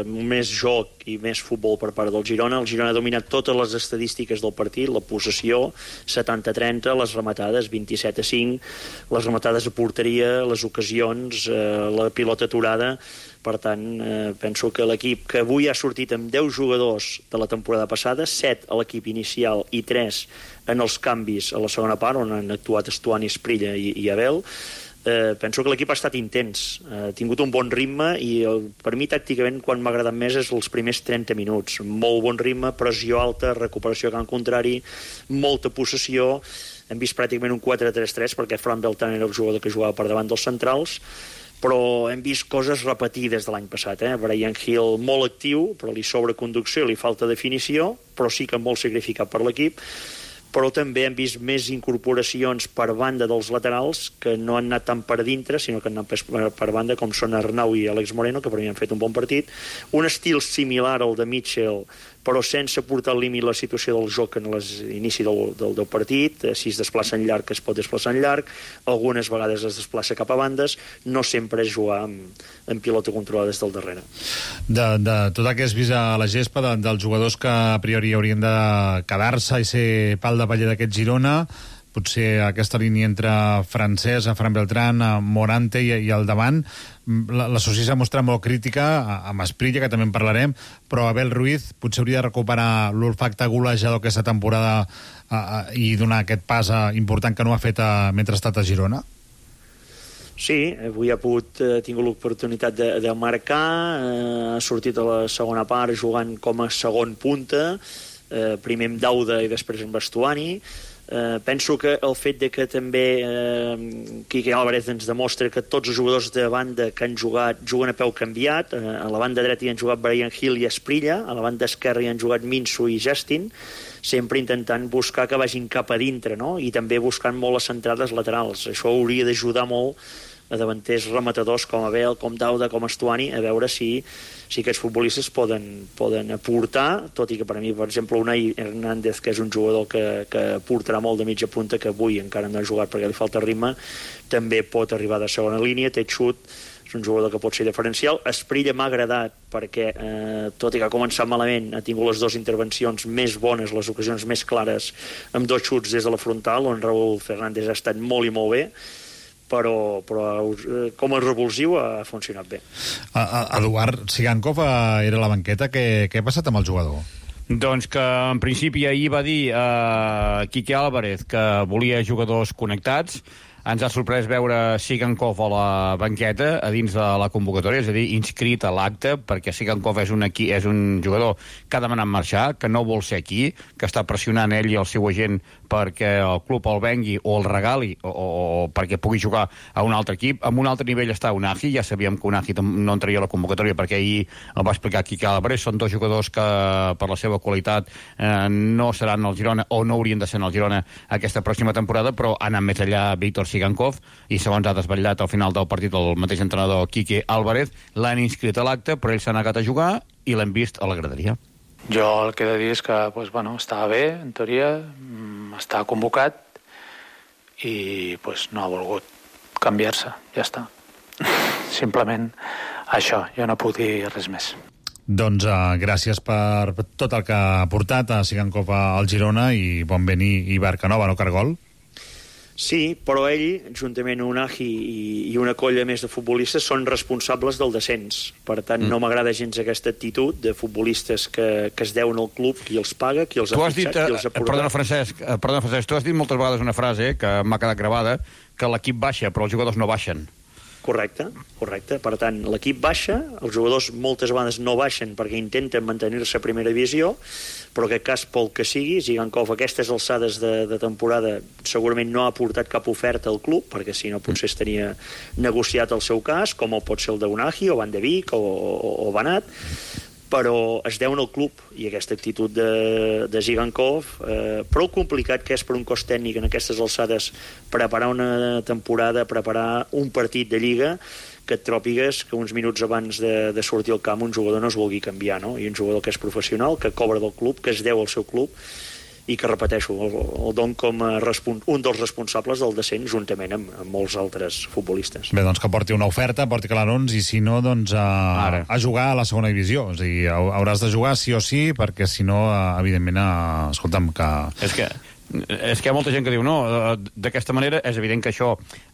més joc i més futbol per part del Girona. El Girona ha dominat totes les estadístiques del partit, la possessió, setanta a trenta, les rematades, vint-i-set a cinc, les rematades a porteria, les ocasions, eh, la pilota aturada. Per tant, eh, penso que l'equip que avui ha sortit amb deu jugadors de la temporada passada, set a l'equip inicial i tres en els canvis a la segona part, on han actuat Estuani, Esprilla i, i Abel, eh, penso que l'equip ha estat intens, ha tingut un bon ritme, i el, per mi tàcticament quan m'ha agradat més és els primers trenta minuts. Molt bon ritme, pressió alta, recuperació a camp contrari, molta possessió. Hem vist pràcticament un quatre tres tres perquè Fran Beltrán era el jugador que jugava per davant dels centrals, però hem vist coses repetides de l'any passat. Eh? Brian Hill molt actiu, però li sobra conducció, li falta definició, però sí que molt sacrificat per l'equip. Però també hem vist més incorporacions per banda dels laterals, que no han anat tant per dintre, sinó que han anat per, per banda, com són Arnau i Àlex Moreno, que per mi han fet un bon partit. Un estil similar al de Mitchell, però sense portar al límit la situació del joc en l'inici del, del, del partit. Si es desplaça en llarg, es pot desplaçar en llarg. Algunes vegades es desplaça cap a bandes. No sempre és jugar amb, amb pilota controlada des del darrere. De, de tot el que has vist a la gespa, de, dels jugadors que a priori haurien de quedar-se i ser pal de paller d'aquest Girona, potser aquesta línia entre Francesc, Fran Beltrán, Morante i, i al davant, l'associació s'ha mostrat molt crítica, amb Esprilla, que també en parlarem, però Abel Ruiz potser hauria de recuperar l'olfacte golejador aquesta temporada a, a, i donar aquest pas a, important que no ha fet a, mentre ha estat a Girona? Sí, avui ha pogut, eh, tingut l'oportunitat de, de marcar, eh, ha sortit a la segona part jugant com a segon punta, eh, primer amb Dauda i després amb Bastuani. Eh, penso que el fet de que també eh, Quique Álvarez ens demostra que tots els jugadors de banda que han jugat juguen a peu canviat. Eh, a la banda dreta hi han jugat Brian Hill i Esprilla, a la banda esquerra hi han jugat Minso i Justin, sempre intentant buscar que vagin cap a dintre, no? I també buscant molt les centrades laterals. Això hauria d'ajudar molt a davanters rematadors com Abel, com Dauda, com Estuani, a veure si, si aquests futbolistes poden, poden aportar, tot i que per a mi, per exemple, Unai Hernández, que és un jugador que, que aportarà molt de mitja punta, que avui encara no ha jugat perquè li falta ritme, també pot arribar de segona línia, té xut, és un jugador que pot ser diferencial. Esprilla m'ha agradat perquè, eh, tot i que ha començat malament, ha tingut les dues intervencions més bones, les ocasions més clares, amb dos xuts des de la frontal, on Raúl Fernández ha estat molt i molt bé, però, però com a revulsiu ha funcionat bé. Eduard Sigankov era a la banqueta. Què, què ha passat amb el jugador? Doncs que en principi ahir va dir a Quique Álvarez que volia jugadors connectats. Ens ha sorprès veure Sigankov a la banqueta a dins de la convocatòria, és a dir, inscrit a l'acte, perquè Sigankov és un, aquí, és un jugador que ha demanat marxar, que no vol ser aquí, que està pressionant ell i el seu agent perquè el club el vengui o el regali o, o, o perquè pugui jugar a un altre equip. En un altre nivell està Unahi, ja sabíem que Unahi no entraria a la convocatòria perquè ahir el va explicar Quique Álvarez, són dos jugadors que per la seva qualitat eh, no seran al Girona o no haurien de ser al Girona aquesta pròxima temporada, però ha anat més allà Víctor Sigankov i segons ha desvetllat al final del partit el mateix entrenador Quique Álvarez, l'han inscrit a l'acte però ell s'ha negat a jugar i l'hem vist a la graderia. Jo el que he de dir és que pues, bueno, estava bé, en teoria, està convocat i pues, no ha volgut canviar-se, ja està. Simplement això, jo no puc dir res més. Doncs uh, gràcies per tot el que ha portat a Sigankov al Girona i bon vent i Barcanova, no, Cargol? Sí, però ell, juntament amb Unahi i, i una colla més de futbolistes, són responsables del descens. Per tant, mm. no m'agrada gens aquesta actitud de futbolistes que, que es deuen al club, qui els paga, qui els ha fitxat, qui els ha portat. Perdona, Francesc, perdona, Francesc, tu has dit moltes vegades una frase que m'ha quedat gravada, que l'equip baixa, però els jugadors no baixen. Correcte, correcte. Per tant, l'equip baixa, els jugadors moltes vegades no baixen perquè intenten mantenir-se a primera divisió, però en aquest cas, pel que sigui, Sigankov a aquestes alçades de, de temporada segurament no ha portat cap oferta al club, perquè si no potser estaria negociat el seu cas, com el pot ser el d'Unahi, o Van de Beek, o, o, o Banat, però es deuen al club, i aquesta actitud de, de Sigankov, eh, prou complicat que és per un cos tècnic en aquestes alçades preparar una temporada, preparar un partit de Lliga, que et tròpigues que uns minuts abans de, de sortir al camp un jugador no es vulgui canviar, no? I un jugador que és professional, que cobra del club, que es deu al seu club, i que, repeteixo, el, el don com a un dels responsables del descens juntament amb, amb molts altres futbolistes. Bé, doncs que porti una oferta, porti clarons, i si no, doncs a, a jugar a la segona divisió. O sigui, hauràs de jugar sí o sí, perquè si no, evidentment, a, escolta'm, que... És que... És que hi ha molta gent que diu no, d'aquesta manera és evident que això,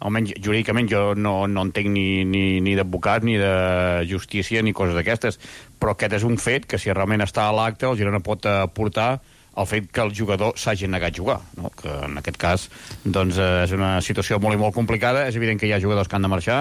almenys jurídicament jo no, no entenc ni, ni, ni d'advocat ni de justícia ni coses d'aquestes, però aquest és un fet que si realment està a l'acte el Girona pot aportar el fet que el jugador s'hagi negat a jugar, no? Que en aquest cas doncs, és una situació molt i molt complicada. És evident que hi ha jugadors que han de marxar,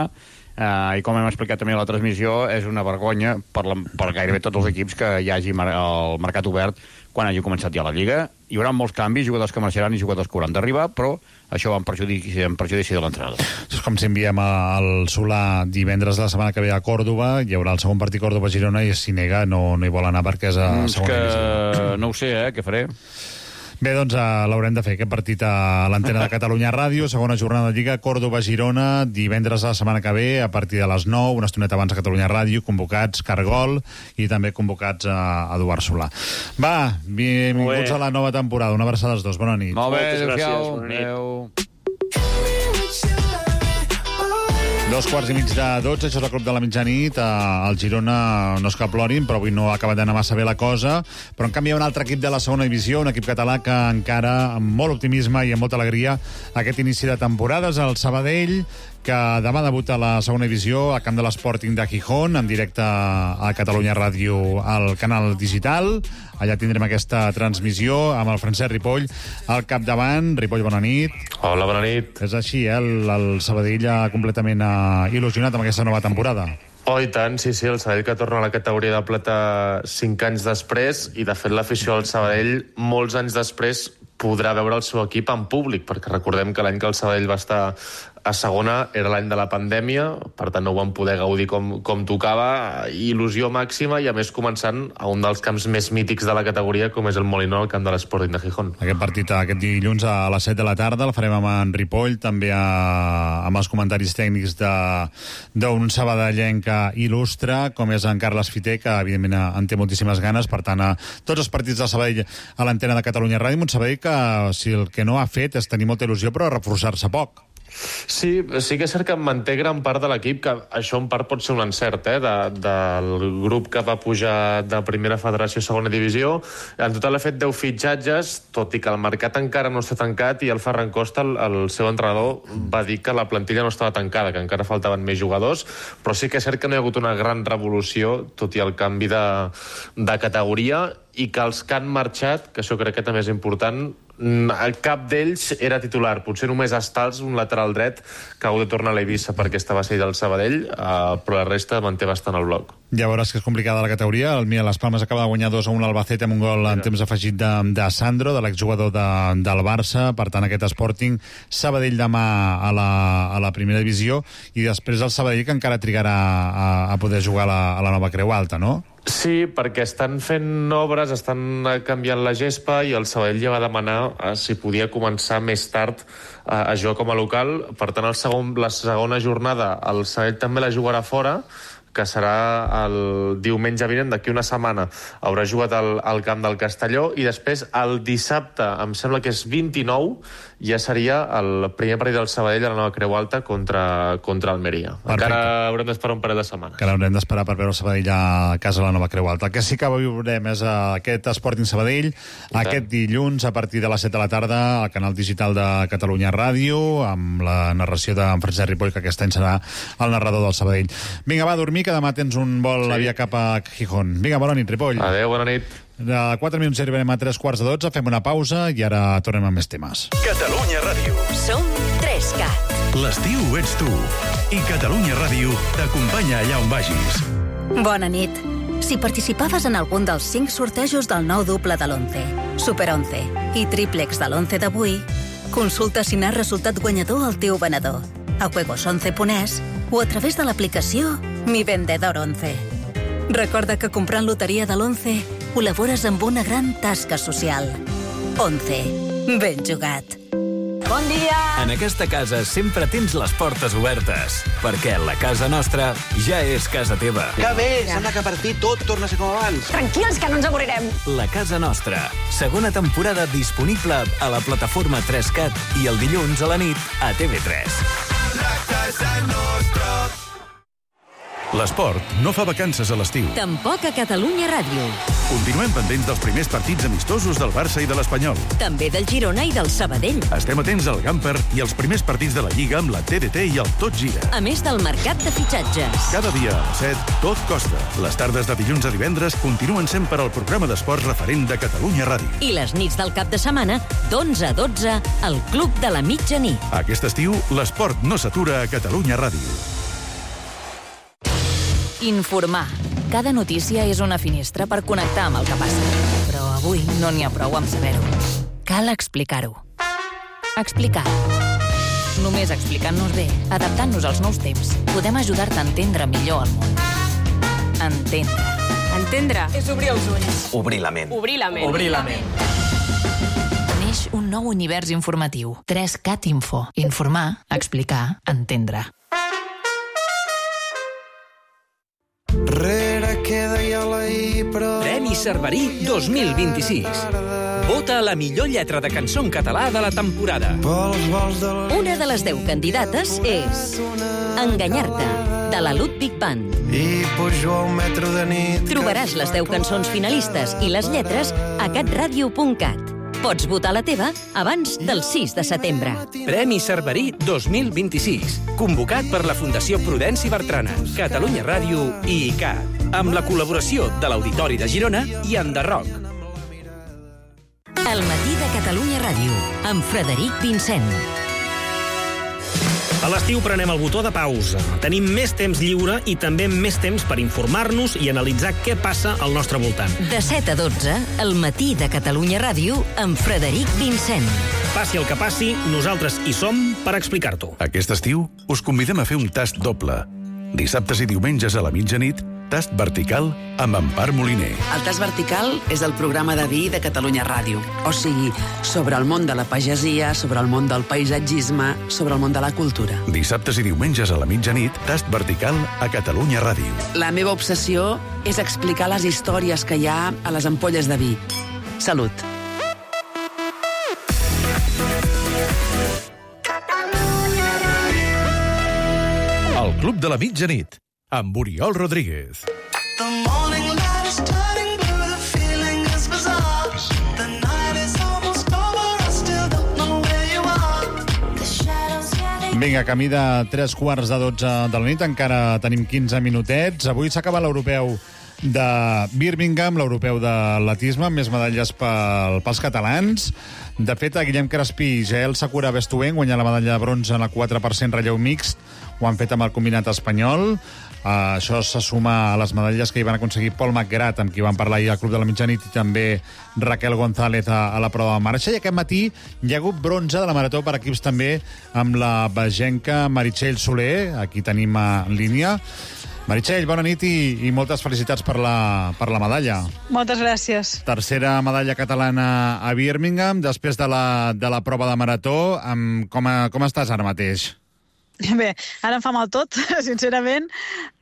eh, i com hem explicat també a la transmissió, és una vergonya per, la, per gairebé tots els equips que hi hagi mar el mercat obert quan hagi començat ja la Lliga. Hi haurà molts canvis, jugadors que marxaran i jugadors que hauran d'arribar, però això va en perjudici, en perjudici de l'entrenador. És com si enviem al Solà divendres de la setmana que ve a Còrdova, hi haurà el segon partit Còrdova-Girona i si nega no, no hi vol anar perquè és a segona divisió. No ho sé, eh, què faré? Bé, doncs uh, l'haurem de fer, aquest partit a l'antena de Catalunya Ràdio, segona jornada de Lliga, Còrdova-Girona, divendres de la setmana que ve, a partir de les nou, una estoneta abans a Catalunya Ràdio, convocats Cargol i també convocats a Eduard Solà. Va, benvinguts a la nova temporada, una abraçada als dos, bona nit. Molt bé, adéu-siau. Adéu. Dos quarts i mig de dotze, això és el Club de la Mitjanit. El Girona no és que plorin, però avui no ha acabat d'anar massa bé la cosa. Però en canvi hi ha un altre equip de la segona divisió, un equip català que encara amb molt optimisme i amb molta alegria aquest inici de temporada és el Sabadell, que demà debuta la segona divisió al camp de l'Sporting de Gijón, en directe a Catalunya Ràdio al canal digital. Allà tindrem aquesta transmissió amb el Francesc Ripoll al capdavant. Ripoll, bona nit. Hola, bona nit. És així, eh? El, el Sabadell ha completament uh, il·lusionat amb aquesta nova temporada. Oh, i tant, sí, sí, el Sabadell que torna a la categoria de plata cinc anys després, i de fet l'afició al Sabadell molts anys després podrà veure el seu equip en públic, perquè recordem que l'any que el Sabadell va estar a segona era l'any de la pandèmia, per tant no ho van poder gaudir com, com tocava, il·lusió màxima, i a més començant a un dels camps més mítics de la categoria, com és el Molinó, al camp de l'Sporting de Gijón. Aquest partit aquest dilluns a les set de la tarda el farem amb en Ripoll, també a, amb els comentaris tècnics d'un sabadellenc il·lustre, com és en Carles Fiter, que evidentment en té moltíssimes ganes. Per tant, a tots els partits del Sabadell a l'antena de Catalunya Ràdio, un Sabadell que si el que no ha fet és tenir molta il·lusió, però reforçar-se poc. Sí, sí que és cert que em manté gran part de l'equip, que això en part pot ser un encert, eh, de, del grup que va pujar de primera federació a segona divisió. En total ha fet deu fitxatges, tot i que el mercat encara no està tancat, i el Ferran Costa, el, el seu entrenador, va dir que la plantilla no estava tancada, que encara faltaven més jugadors, però sí que és cert que no hi ha hagut una gran revolució, tot i el canvi de, de categoria, i que els que han marxat, que això crec que també és important, cap d'ells era titular. Potser només Estals, un lateral dret, que ha hagut de tornar a l'Eivissa perquè estava cedit del Sabadell, eh, però la resta manté bastant el bloc. Ja veuràs que és complicada la categoria. El Mia Las Palmas acaba de guanyar dos a un al Albacete amb un gol en temps afegit de, de Sandro, de l'exjugador de, del Barça. Per tant, aquest Sporting Sabadell demà a la, a la primera divisió, i després el Sabadell, que encara trigarà a, a poder jugar a la, a la nova Creu Alta, no? Sí, perquè estan fent obres, estan canviant la gespa, i el Sabadell ja va demanar eh, si podia començar més tard eh, a jugar com a local. Per tant, el segon, la segona jornada el Sabadell també la jugarà fora, que serà el diumenge vinent, d'aquí una setmana. Haurà jugat al, al camp del Castelló, i després el dissabte, em sembla que és vint-i-nou, ja seria el primer partit del Sabadell a la nova Creu Alta contra, contra Almeria. Perfecte. Encara haurem d'esperar un parell de setmanes. Encara haurem d'esperar per veure el Sabadell a casa a la nova Creu Alta. El que sí que veurem és aquest Sporting Sabadell aquest dilluns a partir de les set de la tarda al canal digital de Catalunya Ràdio, amb la narració d'en Francesc Ripoll, que aquest any serà el narrador del Sabadell. Vinga, va a dormir, que demà tens un vol sí. a via cap a Gijón. Vinga, bona nit, Ripoll. Adéu, bona nit. De quatre minuts arribarem a tres quarts de dotze, fem una pausa i ara tornem amb més temes. Catalunya Ràdio. Som tres cat. L'estiu ets tu. I Catalunya Ràdio t'acompanya allà on vagis. Bona nit. Si participaves en algun dels cinc sortejos del nou doble de l'once, Super onze i Triplex de l'once d'avui, consulta si n'has resultat guanyador al teu venedor, a juegos once punt es o a través de l'aplicació Mi Vendedor once. Recorda que comprant loteria de l'once col·labores amb una gran tasca social. once. Ben jugat. Bon dia! En aquesta casa sempre tens les portes obertes, perquè la casa nostra ja és casa teva. Que bé! Sembla que per fi tot torna a ser com abans. Tranquils, que no ens avorrirem. La casa nostra. Segona temporada disponible a la plataforma tres cat i el dilluns a la nit a T V tres. La casa nostra. L'esport no fa vacances a l'estiu. Tampoc a Catalunya Ràdio. Continuem pendents dels primers partits amistosos del Barça i de l'Espanyol. També del Girona i del Sabadell. Estem atents al Gamper i als primers partits de la Lliga amb la T D T i el Tot Gira. A més del mercat de fitxatges. Cada dia a les set, tot costa. Les tardes de dilluns a divendres continuen sent per al programa d'esports referent de Catalunya Ràdio. I les nits del cap de setmana, d'onze a dotze, al Club de la Mitjanit. Aquest estiu, l'esport no s'atura a Catalunya Ràdio. Informar. Cada notícia és una finestra per connectar amb el que passa. Però avui no n'hi ha prou amb saber-ho. Cal explicar-ho. Explicar. Només explicant-nos bé, adaptant-nos als nous temps, podem ajudar-te a entendre millor el món. Entendre. Entendre és obrir els ulls. Obrir la ment. Obrir la ment. Obrir la ment. Neix un nou univers informatiu. tres cat Info. Informar, explicar, entendre. Premi Cerverí dos mil vint-i-sis. Vota la millor lletra de cançó en català de la temporada. Una de les deu candidates és Enganyar-te, de la Ludwig Band. I pujo a un metro de nit. Trobaràs les deu cançons finalistes i les lletres a catradio punt cat. Pots votar la teva abans del sis de setembre. Premi Cerverí dos mil vint-i-sis. Convocat per la Fundació Prudenci Bertrana, Catalunya Ràdio i I C A T, amb la col·laboració de l'Auditori de Girona i Enderroc. El matí de Catalunya Ràdio, amb Frederic Vincent. A l'estiu prenem el botó de pausa. Tenim més temps lliure i també més temps per informar-nos i analitzar què passa al nostre voltant. De set a dotze, el matí de Catalunya Ràdio, amb Frederic Vincent. Passi el que passi, nosaltres hi som per explicar-t'ho. Aquest estiu us convidem a fer un tast doble. Dissabtes i diumenges a la mitjanit, Tast Vertical amb Empar Moliner. El Tast Vertical és el programa de vi de Catalunya Ràdio. O sigui, sobre el món de la pagesia, sobre el món del paisatgisme, sobre el món de la cultura. Dissabtes i diumenges a la mitjanit, Tast Vertical a Catalunya Ràdio. La meva obsessió és explicar les històries que hi ha a les ampolles de vi. Salut. El Club de la Mitjanit, amb Oriol Rodríguez. Vinga, camí de tres quarts de dotze de la nit, encara tenim quinze minutets. Avui s'acaba l'europeu de Birmingham, l'europeu d'atletisme, amb més medalles pel, pels catalans. De fet, a Guillem Crespí i Jael Sakura Bestuen guanyar la medalla de bronze en el quatre per cent relleu mixt. Ho han fet amb el combinat espanyol. Uh, això se suma a les medalles que hi van aconseguir Paul McGrath, amb qui van parlar ahir al Club de la Mitjanit, i també Raquel González a, a la prova de marxa. I aquest matí hi ha hagut bronze de la marató per equips també amb la bagenca Meritxell Soler, aquí tenim en línia. Meritxell, bona nit i, i moltes felicitats per la, per la medalla. Moltes gràcies. Tercera medalla catalana a Birmingham, després de la, de la prova de marató. Amb, com, a, com estàs ara mateix? Bé, ara em fa mal tot, sincerament,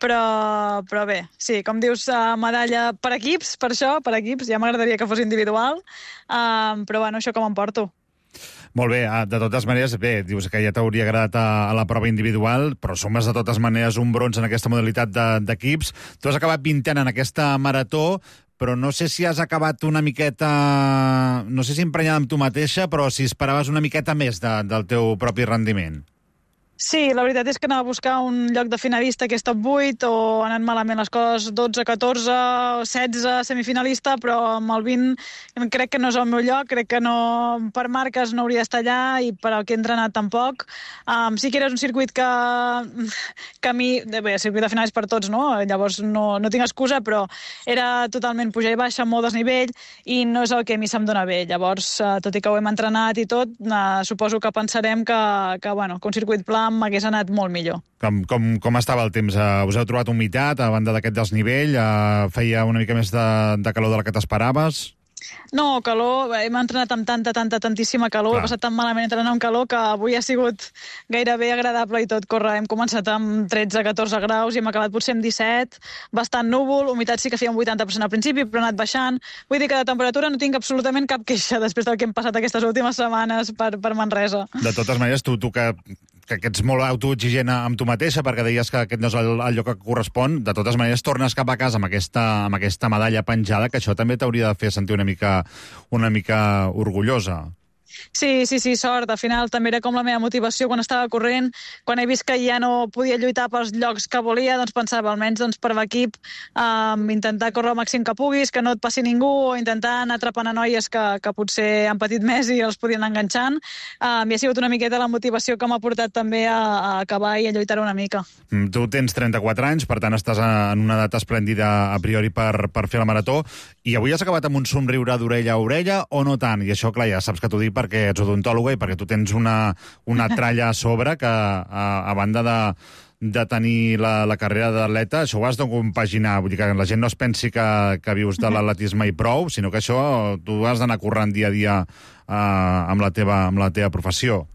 però, però bé, sí, com dius, medalla per equips, per això, per equips, ja m'agradaria que fos individual, um, però bueno, això com em porto. Molt bé, de totes maneres, bé, dius que ja t'hauria agradat a, a la prova individual, però sumes de totes maneres un bronze en aquesta modalitat d'equips. De, tu has acabat vintena en aquesta marató, però no sé si has acabat una miqueta, no sé si emprenyada amb tu mateixa, però si esperaves una miqueta més de, del teu propi rendiment. Sí, la veritat és que anava a buscar un lloc de finalista que és top vuit, o han anat malament les coses dotze, catorze, setze, semifinalista, però amb el vint crec que no és el meu lloc, crec que no, per marques no hauria d'estar allà i per al que he entrenat tampoc. Um, sí que era un circuit que, que a mi, bé, el circuit de final és per tots, no? Llavors no, no tinc excusa, però era totalment pujar i baixa, molt desnivell, i no és el que a mi se'm dona bé. Llavors, uh, tot i que ho hem entrenat i tot, uh, suposo que pensarem que, que, bueno, que un circuit pla m'hagués anat molt millor. Com, com, com estava el temps? Uh, us heu trobat humitat a banda d'aquest desnivell? Uh, feia una mica més de, de calor de la que t'esperaves? No, calor, hem entrenat amb tanta, tanta, tantíssima calor, Clar. He passat tan malament entrenant amb calor que avui ha sigut gairebé agradable i tot córrer. Hem començat amb tretze a catorze graus i hem acabat potser amb disset, bastant núvol, humitat sí que feia un vuitanta per cent al principi, però ha anat baixant. Vull dir que de temperatura no tinc absolutament cap queixa després del que hem passat aquestes últimes setmanes per, per Manresa. De totes maneres, tu, tu que, que, que ets molt autoexigent amb tu mateixa, perquè deies que aquest no és el, el lloc que correspon, de totes maneres tornes cap a casa amb aquesta, amb aquesta medalla penjada, que això també t'hauria de fer sentir una mica una mica orgullosa. Sí, sí, sí, sort. Al final també era com la meva motivació quan estava corrent. Quan he vist que ja no podia lluitar pels llocs que volia, doncs pensava, almenys doncs, per l'equip, um, intentar córrer el màxim que puguis, que no et passi ningú, o intentar anar atrapant a noies que, que potser han patit més i els podien anar enganxant. Um, I ha sigut una miqueta la motivació que m'ha portat també a, a acabar i a lluitar una mica. Mm, tu tens trenta-quatre anys, per tant estàs en una edat esplèndida a priori per, per fer la marató, i avui has acabat amb un somriure d'orella a orella o no tant? I això, clar, ja saps que t'ho dic perquè ets odontòloga i perquè tu tens una, una tralla a sobre que, a, a banda de, de tenir la, la carrera d'atleta, això ho has de compaginar. Vull dir que la gent no es pensi que, que vius de l'atletisme i prou, sinó que això tu has d'anar corrent dia a dia eh, amb, la teva, amb la teva professió.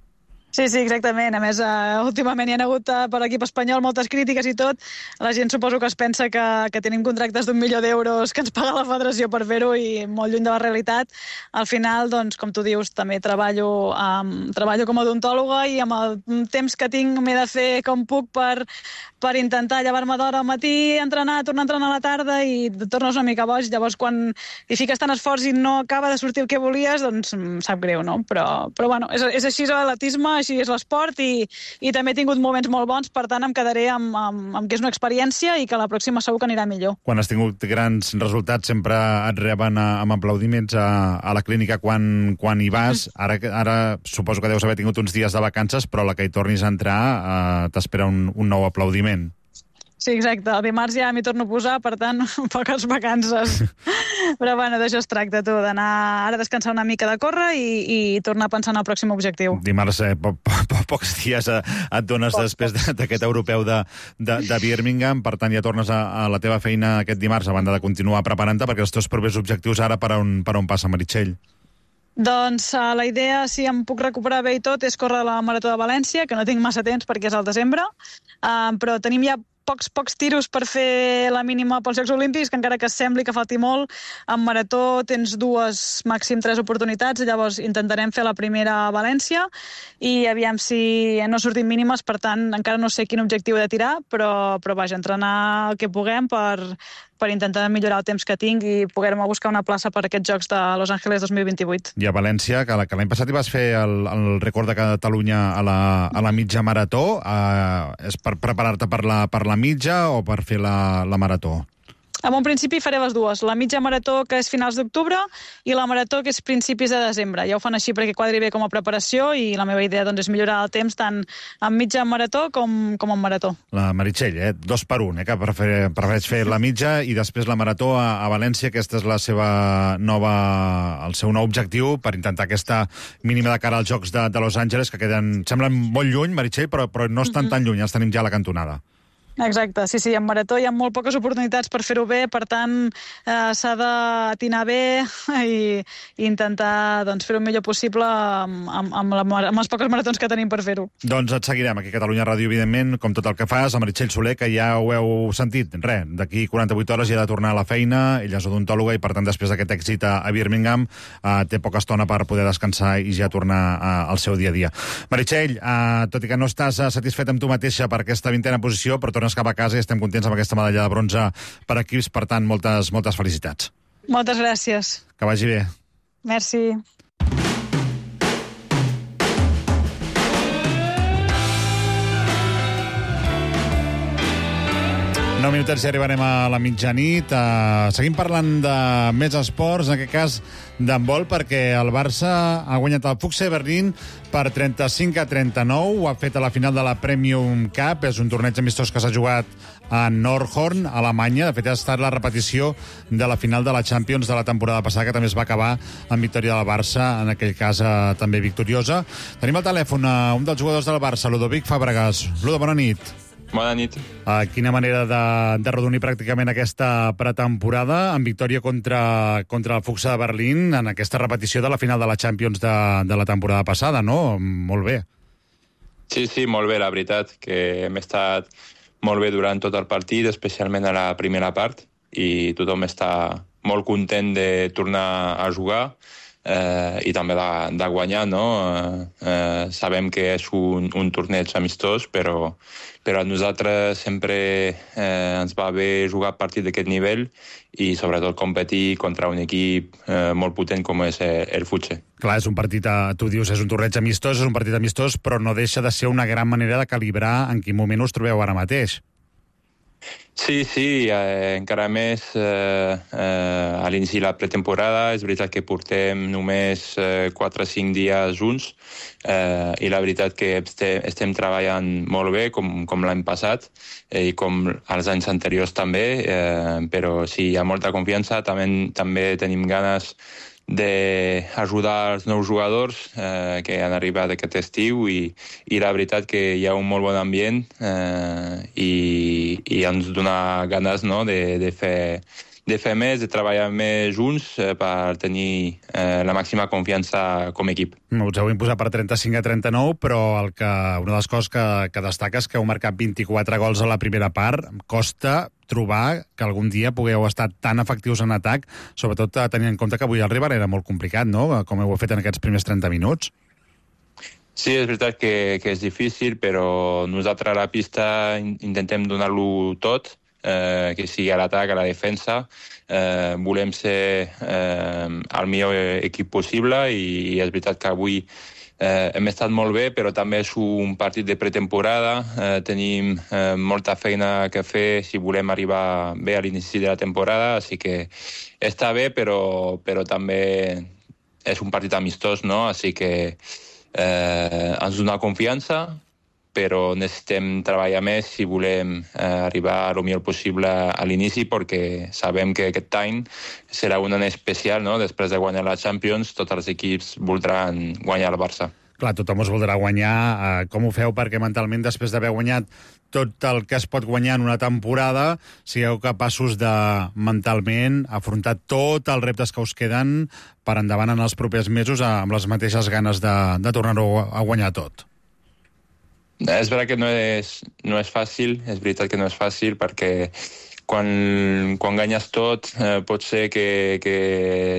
Sí, sí, exactament. A més, uh, últimament hi ha hagut uh, per l'equip espanyol moltes crítiques i tot. La gent suposo que es pensa que, que tenim contractes d'un milió d'euros que ens paga la federació per fer-ho i molt lluny de la realitat. Al final, doncs, com tu dius, també treballo, um, treballo com a odontòloga i amb el temps que tinc m'he de fer com puc per, per intentar llevar-me d'hora al matí, entrenar, tornar a entrenar a la tarda i et tornes una mica boig. Llavors, quan hi fiques tant esforç i no acaba de sortir el que volies, doncs em sap greu, no? Però, però bueno, és, és així l'atletisme així és l'esport, i, i també he tingut moments molt bons, per tant em quedaré amb, amb, amb que és una experiència i que la pròxima segur que anirà millor. Quan has tingut grans resultats sempre et reben a, amb aplaudiments a, a la clínica quan, quan hi vas. Ara, ara suposo que deus haver tingut uns dies de vacances, però la que hi tornis a entrar eh, t'espera un, un nou aplaudiment. Sí, exacte. El dimarts ja m'hi torno a posar, per tant, poques vacances. Però bueno, d'això es tracta, tu, d'anar ara a descansar una mica de córrer i, i tornar a pensar en el pròxim objectiu. Dimarts, eh, po, po, po, pocs dies eh, et dones poc, després d'aquest europeu de, de, de Birmingham, per tant ja tornes a, a la teva feina aquest dimarts, a banda de continuar preparant-te, perquè els teus propers objectius ara per on, per on passa, Meritxell? Doncs uh, la idea, si em puc recuperar bé i tot, és córrer la Marató de València, que no tinc massa temps perquè és al desembre, uh, però tenim ja pocs, pocs tiros per fer la mínima pels Jocs Olímpics, que encara que sembli que falti molt, en marató tens dues, màxim tres oportunitats, llavors intentarem fer la primera a València, i aviam si no sortim mínimes, per tant, encara no sé quin objectiu he de tirar, però, però vaja, entrenar el que puguem per, per intentar millorar el temps que tinc i poder-me buscar una plaça per aquests Jocs de Los Angeles dos mil vint-i-vuit. I a València, que l'any passat hi vas fer el, el rècord de Catalunya a la, a la mitja marató, eh, és per preparar-te per la, per la mitja o per fer la, la marató? En un principi faré les dues, la mitja marató, que és finals d'octubre, i la marató, que és principis de desembre. Ja ho fan així perquè quadri bé com a preparació, i la meva idea doncs, és millorar el temps tant en mitja marató com, com en marató. La Meritxell, eh? dos per un, eh? que prefereix fer la mitja i després la marató a, a València. Aquesta és la seva nova, el seu nou objectiu per intentar aquesta mínima de cara als Jocs de, de Los Angeles, que queden, semblen molt lluny, Meritxell, però, però no estan mm-hmm. tan lluny, els tenim ja a la cantonada. Exacte, sí, sí, en marató hi ha molt poques oportunitats per fer-ho bé, per tant eh, s'ha d'atinar bé i, i intentar doncs, fer-ho el millor possible amb, amb, amb, la, amb les poques maratons que tenim per fer-ho. Doncs et seguirem aquí a Catalunya Ràdio, evidentment, com tot el que fas, a Meritxell Soler, que ja ho heu sentit, res, d'aquí quaranta-vuit hores ja ha de tornar a la feina, ella és odontòloga i per tant després d'aquest èxit a, a Birmingham eh, té poca estona per poder descansar i ja tornar a, al seu dia a dia. Meritxell, eh, tot i que no estàs satisfet amb tu mateixa per aquesta vintena posició, però tornes cap a casa i estem contents amb aquesta medalla de bronze per equips, per tant, moltes, moltes felicitats. Moltes gràcies. Que vagi bé. Merci. nou minutets i arribarem a la mitjanit. Uh, seguim parlant de més esports, en aquest cas d'handbol, perquè el Barça ha guanyat el Füchse Berlín per trenta-cinc a trenta-nou. Ho ha fet a la final de la Premium Cup. És un torneig amistós que s'ha jugat a Nordhorn, a Alemanya. De fet, ha estat la repetició de la final de la Champions de la temporada passada, que també es va acabar amb victòria del Barça, en aquell cas uh, també victoriosa. Tenim al telèfon uh, un dels jugadors del Barça, Ludovic Fàbregas. Ludo, bona nit. Bona nit. Uh, quina manera de, de redonir pràcticament aquesta pretemporada amb victòria contra, contra el Füchse de Berlín en aquesta repetició de la final de la Champions de, de la temporada passada, no? Molt bé. Sí, sí, molt bé, la veritat, que hem estat molt bé durant tot el partit, especialment a la primera part, i tothom està molt content de tornar a jugar eh, i també de, de guanyar, no? Eh, eh, sabem que és un, un torneig amistós, però però a nosaltres sempre eh, ens va bé jugar a partir d'aquest nivell i sobretot competir contra un equip eh, molt potent com és el Füchse. Clar, és un partit, tu dius, és un torneig amistós, és un partit amistós, però no deixa de ser una gran manera de calibrar en quin moment us trobeu ara mateix. Sí, sí, eh, encara més eh, eh, a l'inici de la pretemporada. És veritat que portem només eh, quatre o cinc dies junts eh, i la veritat que estem, estem treballant molt bé, com, com l'any passat eh, i com els anys anteriors també, eh, però sí, hi ha molta confiança. També, també tenim ganes d'ajudar els nous jugadors eh, que han arribat aquest estiu i, i la veritat que hi ha un molt bon ambient eh, i, i ens dona ganes, no, de, de, fer, de fer més, de treballar més junts eh, per tenir eh, la màxima confiança com a equip. Us heu imposat per trenta-cinc a trenta-nou, però el que, una de les coses que, que destaca és que heu marcat vint-i-quatre gols a la primera part. Costa trobar que algun dia pugueu estar tan efectius en atac, sobretot tenint en compte que avui el rival era molt complicat, no?, com heu fet en aquests primers trenta minuts. Sí, és veritat que, que és difícil, però nosaltres a la pista intentem donar-lo tot, eh, que sigui a l'atac, a la defensa. Eh, volem ser eh, el millor equip possible i, i és veritat que avui Eh, hem estat molt bé, però també és un partit de pretemporada. Eh, tenim eh, molta feina que fer si volem arribar bé a l'inici de la temporada, així que està bé, però, però també és un partit amistós, no? Així que eh, ens dona confiança, però necessitem treballar més si volem eh, arribar el millor possible a l'inici, perquè sabem que aquest any serà un any especial, no? Després de guanyar la Champions, tots els equips voldran guanyar el Barça. Clar, tothom us voldrà guanyar. Eh, com ho feu perquè mentalment, després d'haver guanyat tot el que es pot guanyar en una temporada, sigueu capaços de, mentalment, afrontar tots els reptes que us queden per endavant en els propers mesos amb les mateixes ganes de, de tornar-ho a guanyar tot? És veritat que no és, no és fàcil, és veritat que no és fàcil, perquè quan, quan guanyes tot eh, pot ser que, que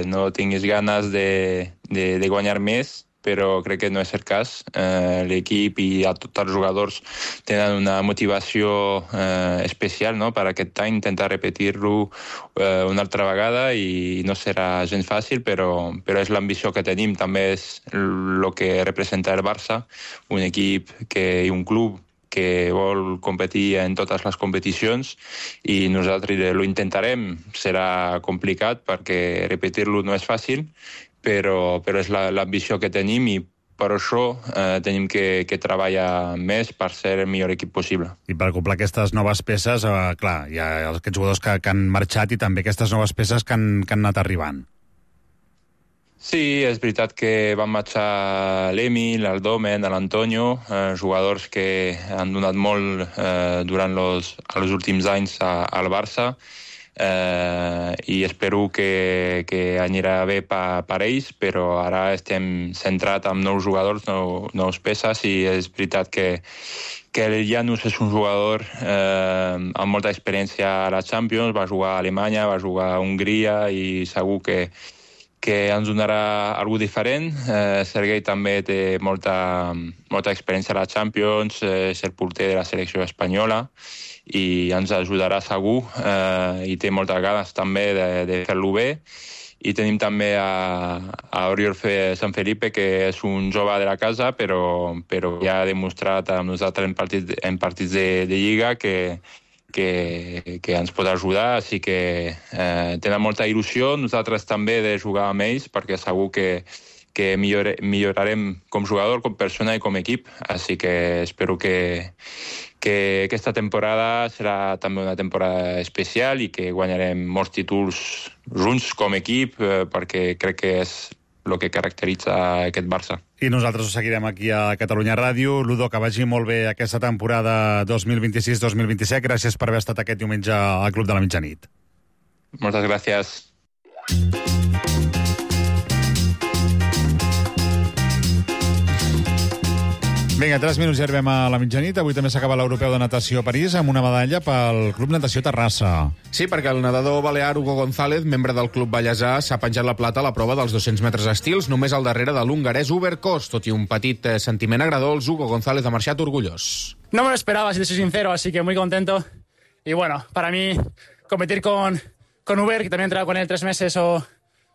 no tinguis ganes de, de, de guanyar més, però crec que no és el cas. Eh, l'equip i a tots els jugadors tenen una motivació eh, especial, no?, per aquest any, intentar repetir-lo eh, una altra vegada, i no serà gens fàcil, però, però és l'ambició que tenim. També és el que representa el Barça, un equip que, i un club que vol competir en totes les competicions, i nosaltres ho intentarem. Serà complicat perquè repetir-lo no és fàcil, però, però és l'ambició que tenim, i per això eh, tenim que, que treballar més per ser el millor equip possible. I per comprar aquestes noves peces, eh, clar, hi ha aquests jugadors que, que han marxat i també aquestes noves peces que han, que han anat arribant. Sí, és veritat que van marxar l'Emil, el Domen, l'Antonio, eh, jugadors que han donat molt eh, durant los, els últims anys a, al Barça, eh, i espero que, que anirà bé per, per ells, però ara estem centrats en nous jugadors, nou, nous peces, i és veritat que, que el Janus és un jugador eh, amb molta experiència a la Champions, va jugar a Alemanya, va jugar a Hongria, i segur que que ens donarà algú diferent. Eh, Sergei també té molta, molta experiència a la Champions, eh, és el porter de la selecció espanyola, i ens ajudarà segur, eh, i té moltes ganes també de, de fer-lo bé. I tenim també a, a Oriol Sant Felipe, que és un jove de la casa, però, però ja ha demostrat amb nosaltres en partits, en partits de, de Lliga que Que, que ens pot ajudar, així que eh, tenen molta il·lusió, nosaltres també, de jugar amb ells, perquè segur que, que millore, millorarem com jugador, com persona i com equip, així que espero que, que aquesta temporada serà també una temporada especial i que guanyarem molts títols junts com equip, eh, perquè crec que és el que caracteritza aquest Barça. I nosaltres ho seguirem aquí a Catalunya Ràdio. Ludo, que vagi molt bé aquesta temporada dos mil vint-i-sis dos mil vint-i-set. Gràcies per haver estat aquest diumenge al Club de la Mitjanit. Moltes gràcies. Vinga, tres minuts i arribem a la mitjanit. Avui també s'acaba l'Europeu de Natació a París amb una medalla pel Club Natació Terrassa. Sí, perquè el nedador balear Hugo González, membre del Club Vallèsà, s'ha penjat la plata a la prova dels dos-cents metres estils, només al darrere de l'hongarès Hubert Kos. Tot i un petit eh, sentiment agradós, Hugo González ha marxat orgullós. No me lo esperaba, si te soy sincero, así que muy contento. Y bueno, para mí, competir con, con Hubert, que también he entrenado con él tres meses, o,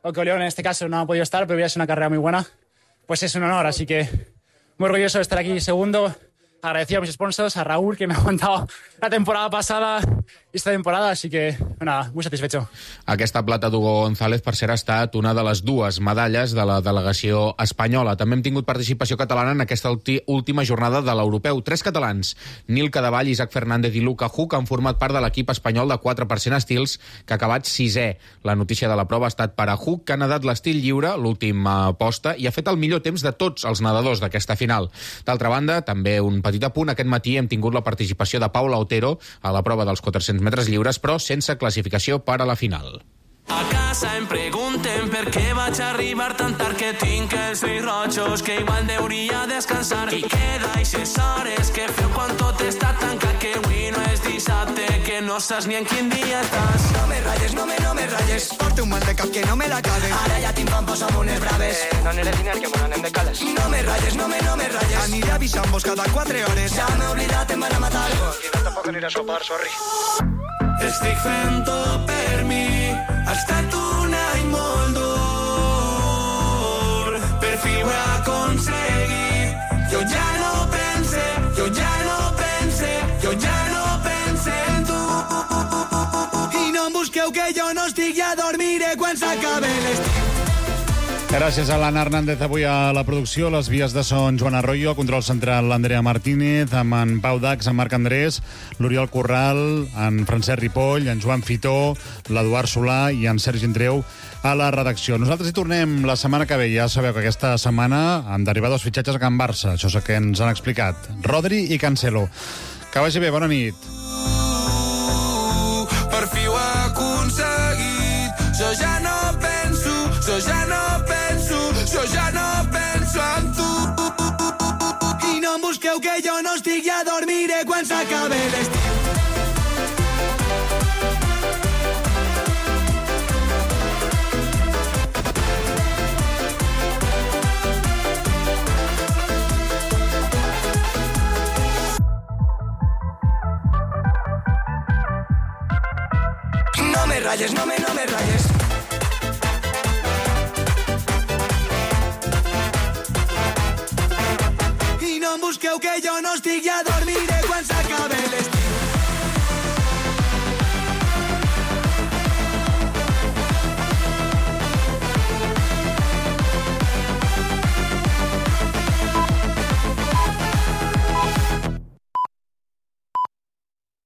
o que Oleón en este caso no ha podido estar, pero ya es una carrera muy buena, pues es un honor, así que muy orgulloso de estar aquí segundo. Agradecido a mis sponsors, a Raúl, que me ha aguantado la temporada pasada i esta temporada, així que, nada, muy satisfecho. Aquesta plata d'Hugo González, per cert, ha estat una de les dues medalles de la delegació espanyola. També hem tingut participació catalana en aquesta última jornada de l'Europeu. Tres catalans, Nil Cadevall, Isaac Fernández i Luca Huck, han format part de l'equip espanyol de quatre per cent estils, que ha acabat sisè. La notícia de la prova ha estat per a Huck, que ha nedat l'estil lliure, l'última posta, i ha fet el millor temps de tots els nedadors d'aquesta final. D'altra banda, també un petit apunt, aquest matí hem tingut la participació de Paula Otero a la prova dels quatre-cents metres lliures, però sense classificació per a la final. A casa em pregunten per què vaig arribar tan tard, que tinc els ulls rojos, que igual hauria de descansar, i que d'aixes hores que feu quan tot està tancat, que avui no és dissabte, que no saps ni en quin dia estàs. No me ratlles, no me, no me ratlles, porto un mal de cap que no me l'acabe. Ara ja tinc pampos amb unes braves. Eh, no aniré diner, que m'ho anem de cales. No me ratlles, no me, no me ratlles, aniré avisant-vos cada quatre hores. Ja m'he oblidat, em van a matar. Aquí no tampoc aniré a sopar, sorry. Estic fent tot per mi, ha estat un any molt dur, per fi ho he aconseguit. no estic, ja dormiré quan s'acabe l'estiu. Gràcies a l'Anna Hernández avui a la producció, les vies de son Joan Arroyo, control central l'Andrea Martínez, amb en Pau Dax, en Marc Andrés, l'Oriol Corral, en Francesc Ripoll, en Joan Fitó, l'Eduard Solà i en Sergi Andreu a la redacció. Nosaltres hi tornem la setmana que ve. Ja sabeu que aquesta setmana han d'arribar dos fitxatges a Can Barça. Això és el que ens han explicat. Rodri i Cancelo. Que vagi bé, bona nit. Per fi ho he aconseguit. Jo ja no penso, jo ja no penso, jo ja no penso en tu. I no em busqueu que jo no estic, ja dormiré quan s'acabe l'estiu. No me rayes, no me, no me rayes. I no em busqueu que jo no estic, ja dormiré quan s'acabe l'estiu.